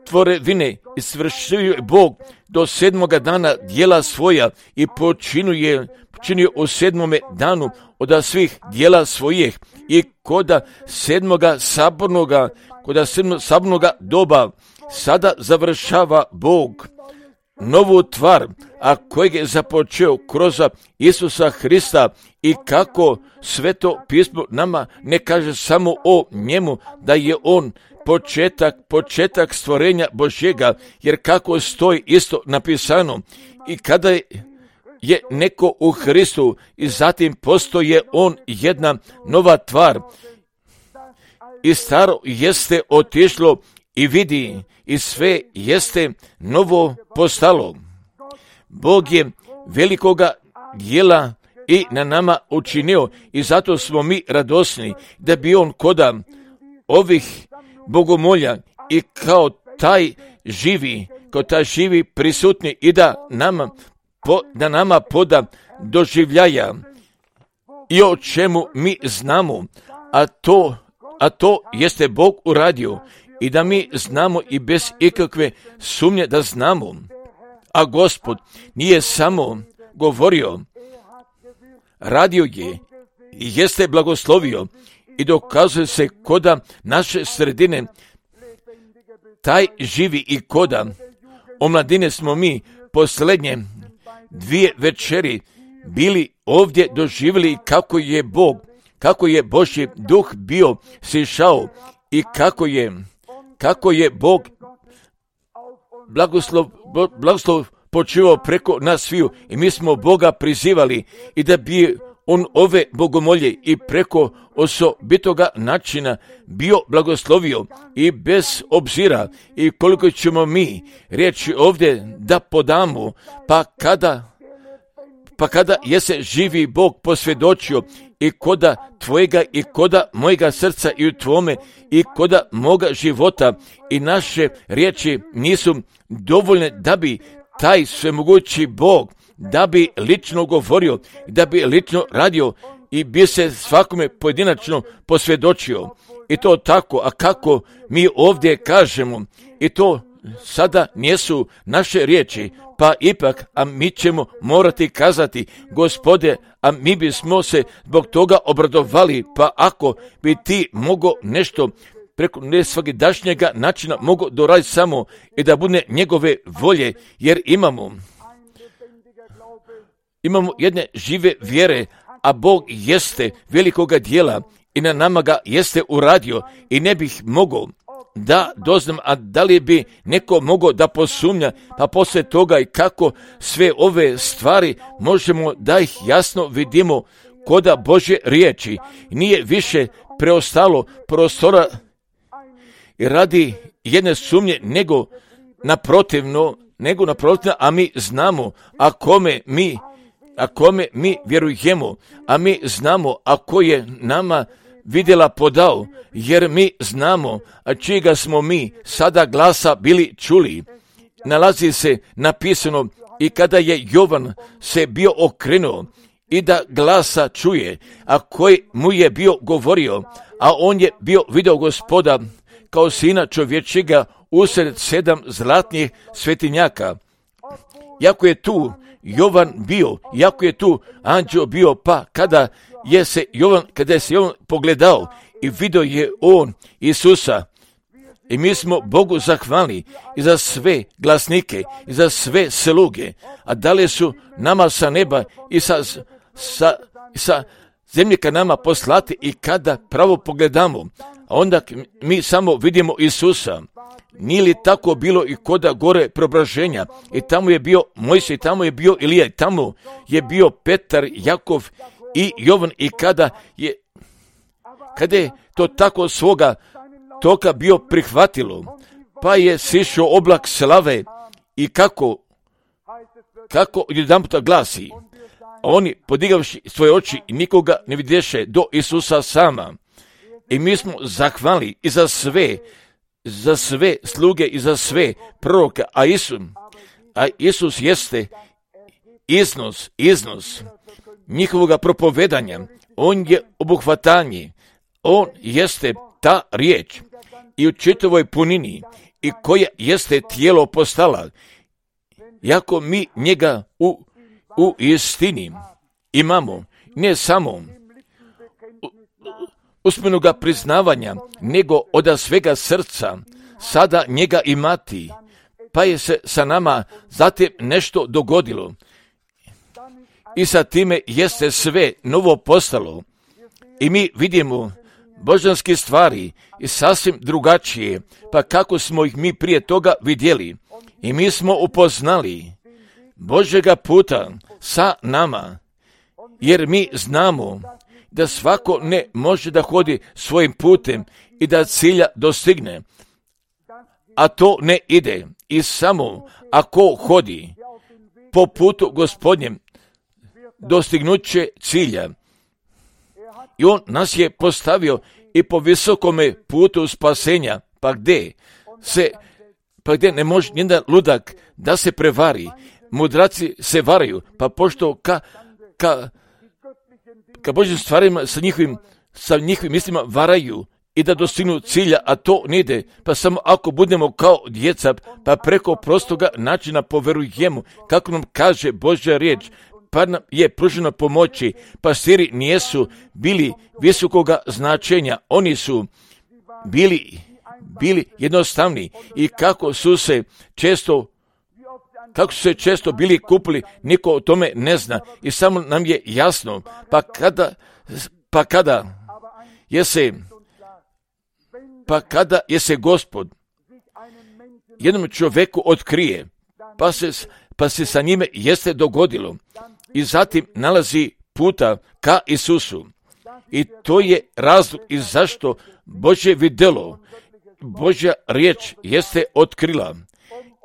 tvore vine i svršio je Bog do sedmoga dana dijela svoja i počinuje, počinio u sedmome danu od svih dijela svojih i koda sedmoga sabornoga, koda sedmoga sabornoga doba sada završava Bog novu tvar, a kojeg je započeo kroz Isusa Hrista i kako Sveto pismo nama ne kaže samo o njemu da je on početak, početak stvorenja Božjega, jer kako stoji isto napisano i kada je je neko u Hristu i zatim postoje on jedna nova tvar i staro jeste otišlo i vidi i sve jeste novo postalo. Bog je velikoga dijela i na nama učinio i zato smo mi radosni da bi on koda ovih bogomolja i kao taj živi, kao taj živi prisutni i da nama Po, da nama poda doživljaja i o čemu mi znamo, a to, a to jeste Bog uradio i da mi znamo i bez ikakve sumnje da znamo. A Gospod nije samo govorio, radio je i jeste blagoslovio i dokazuje se koda naše sredine taj živi i koda omladine smo mi posljednje dvije večeri bili ovdje doživjeli kako je Bog, kako je Božji duh bio sišao i kako je, kako je Bog blagoslov, blagoslov počivao preko nas sviju i mi smo Boga prizivali i da bi on ove bogomolje i preko osobitoga načina bio blagoslovio i bez obzira i koliko ćemo mi riječi ovdje da podamo, pa kada pa kada je se živi Bog posvjedočio i koda tvojega i koda mojega srca i u tvome i koda moga života i naše riječi nisu dovoljne da bi taj svemogući Bog da bi lično govorio, da bi lično radio i bi se svakome pojedinačno posvjedočio. I to tako, a kako mi ovdje kažemo, i to sada nisu naše riječi, pa ipak, a mi ćemo morati kazati, Gospode, a mi bismo se zbog toga obradovali, pa ako bi ti mogo nešto preko nesvakidašnjega načina mogo doraditi samo i da bude njegove volje, jer imamo imamo jedne žive vjere, a Bog jeste velikoga dijela i na nama ga jeste uradio i ne bih mogao da doznam, a da li bi neko mogao da posumnja, pa poslije toga i kako sve ove stvari možemo da ih jasno vidimo koda Božje riječi. Nije više preostalo prostora i radi jedne sumnje nego naprotivno, nego naprotivno, a mi znamo, a kome mi, a kome mi vjerujemo, a mi znamo, a ko je nama vidjela podao, jer mi znamo, a čijega smo mi sada glasa bili čuli. Nalazi se napisano i kada je Jovan se bio okrenuo i da glasa čuje, a koji mu je bio govorio, a on je bio video Gospoda kao sina čovječega usred sedam zlatnih svetinjaka. Jako je tu Jovan bio, jako je tu anđeo bio, pa kada je se Jovan, kada je se Jovan pogledao i vidio je on Isusa, i mi smo Bogu zahvalni i za sve glasnike i za sve sluge, a dali su nama sa neba i sa, sa, sa zemlje ka nama poslati, i kada pravo pogledamo, a onda mi samo vidimo Isusa. Nije li tako bilo i koda gore preobraženja? I tamo je bio Mojsij, tamo je bio Ilija, tamo je bio Petar, Jakov i Jovan, i kada je, kada je to tako svoga toka bio prihvatilo, pa je sišao oblak slave, i kako, kako jedanputa glasi, a oni podigavši svoje oči i nikoga ne vidješe do Isusa sama. I mi smo zahvalni i za sve, za sve sluge i za sve proroke, a Isus, a Isus jeste iznos, iznos njihovoga propovedanja. On je obuhvatanje, on jeste ta riječ i u čitavoj punini, i koja jeste tijelo postala, jako mi njega u, u istini imamo, ne samo usmenoga priznavanja, nego od svega srca sada njega imati, pa je se sa nama zatim nešto dogodilo i sa time jeste sve novo postalo, i mi vidimo božanske stvari i sasvim drugačije, pa kako smo ih mi prije toga vidjeli, i mi smo upoznali Božjega puta sa nama, jer mi znamo da svako ne može da hodi svojim putem i da cilja dostigne, a to ne ide, i samo ako hodi po putu Gospodnjem dostignut će cilja. I on nas je postavio i po visokome putu spasenja, pa gdje se, pa gdje ne može nijedan ludak da se prevari. Mudraci se varaju, pa pošto ka, ka, ka Božjim stvarima sa njihovim, sa njihovim mislima varaju i da dostignu cilja, a to ne ide, pa samo ako budemo kao djeca, pa preko prostoga načina poverujemo, kako nam kaže Božja riječ, pa nam je pružena pomoći. Pastiri nijesu bili visokoga značenja, oni su bili, bili jednostavni, i kako su se često kako su se često bili kupili, niko o tome ne zna, i samo nam je jasno, pa kada, pa kada je se, pa kada je se Gospod jednom čovjeku otkrije, pa se, pa se sa njime jeste dogodilo, i zatim nalazi puta ka Isusu, i to je razlog i zašto Božje vidjelo, Božja riječ jeste otkrila,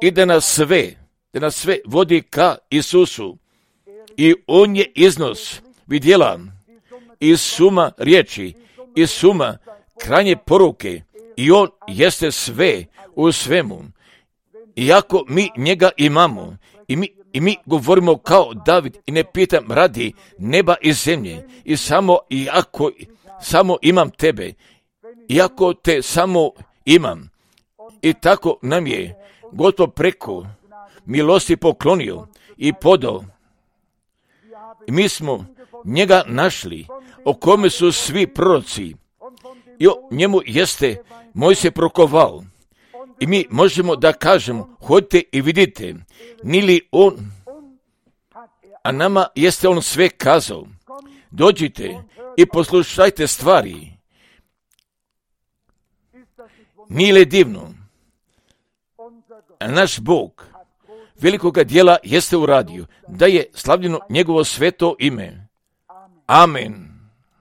i da nas sve, da nas sve vodi ka Isusu, i on je iznos vidjela i suma riječi i suma krajnje poruke, i on jeste sve u svemu. iako mi njega imamo i mi, i mi govorimo kao David i ne pitam radi neba i zemlje i samo iako samo imam tebe, iako te samo imam. I tako nam je Gospod preko milosti poklonio i podao. Mi smo njega našli, o kome su svi proroci, i o njemu jeste Mojsije prokovao. I mi možemo da kažemo, hodite i vidite, nili on, a nama jeste on sve kazao. Dođite i poslušajte stvari. Nije li divno? A naš Bog velikoga dijela jeste uradio, da je slavljeno njegovo sveto ime. Amen.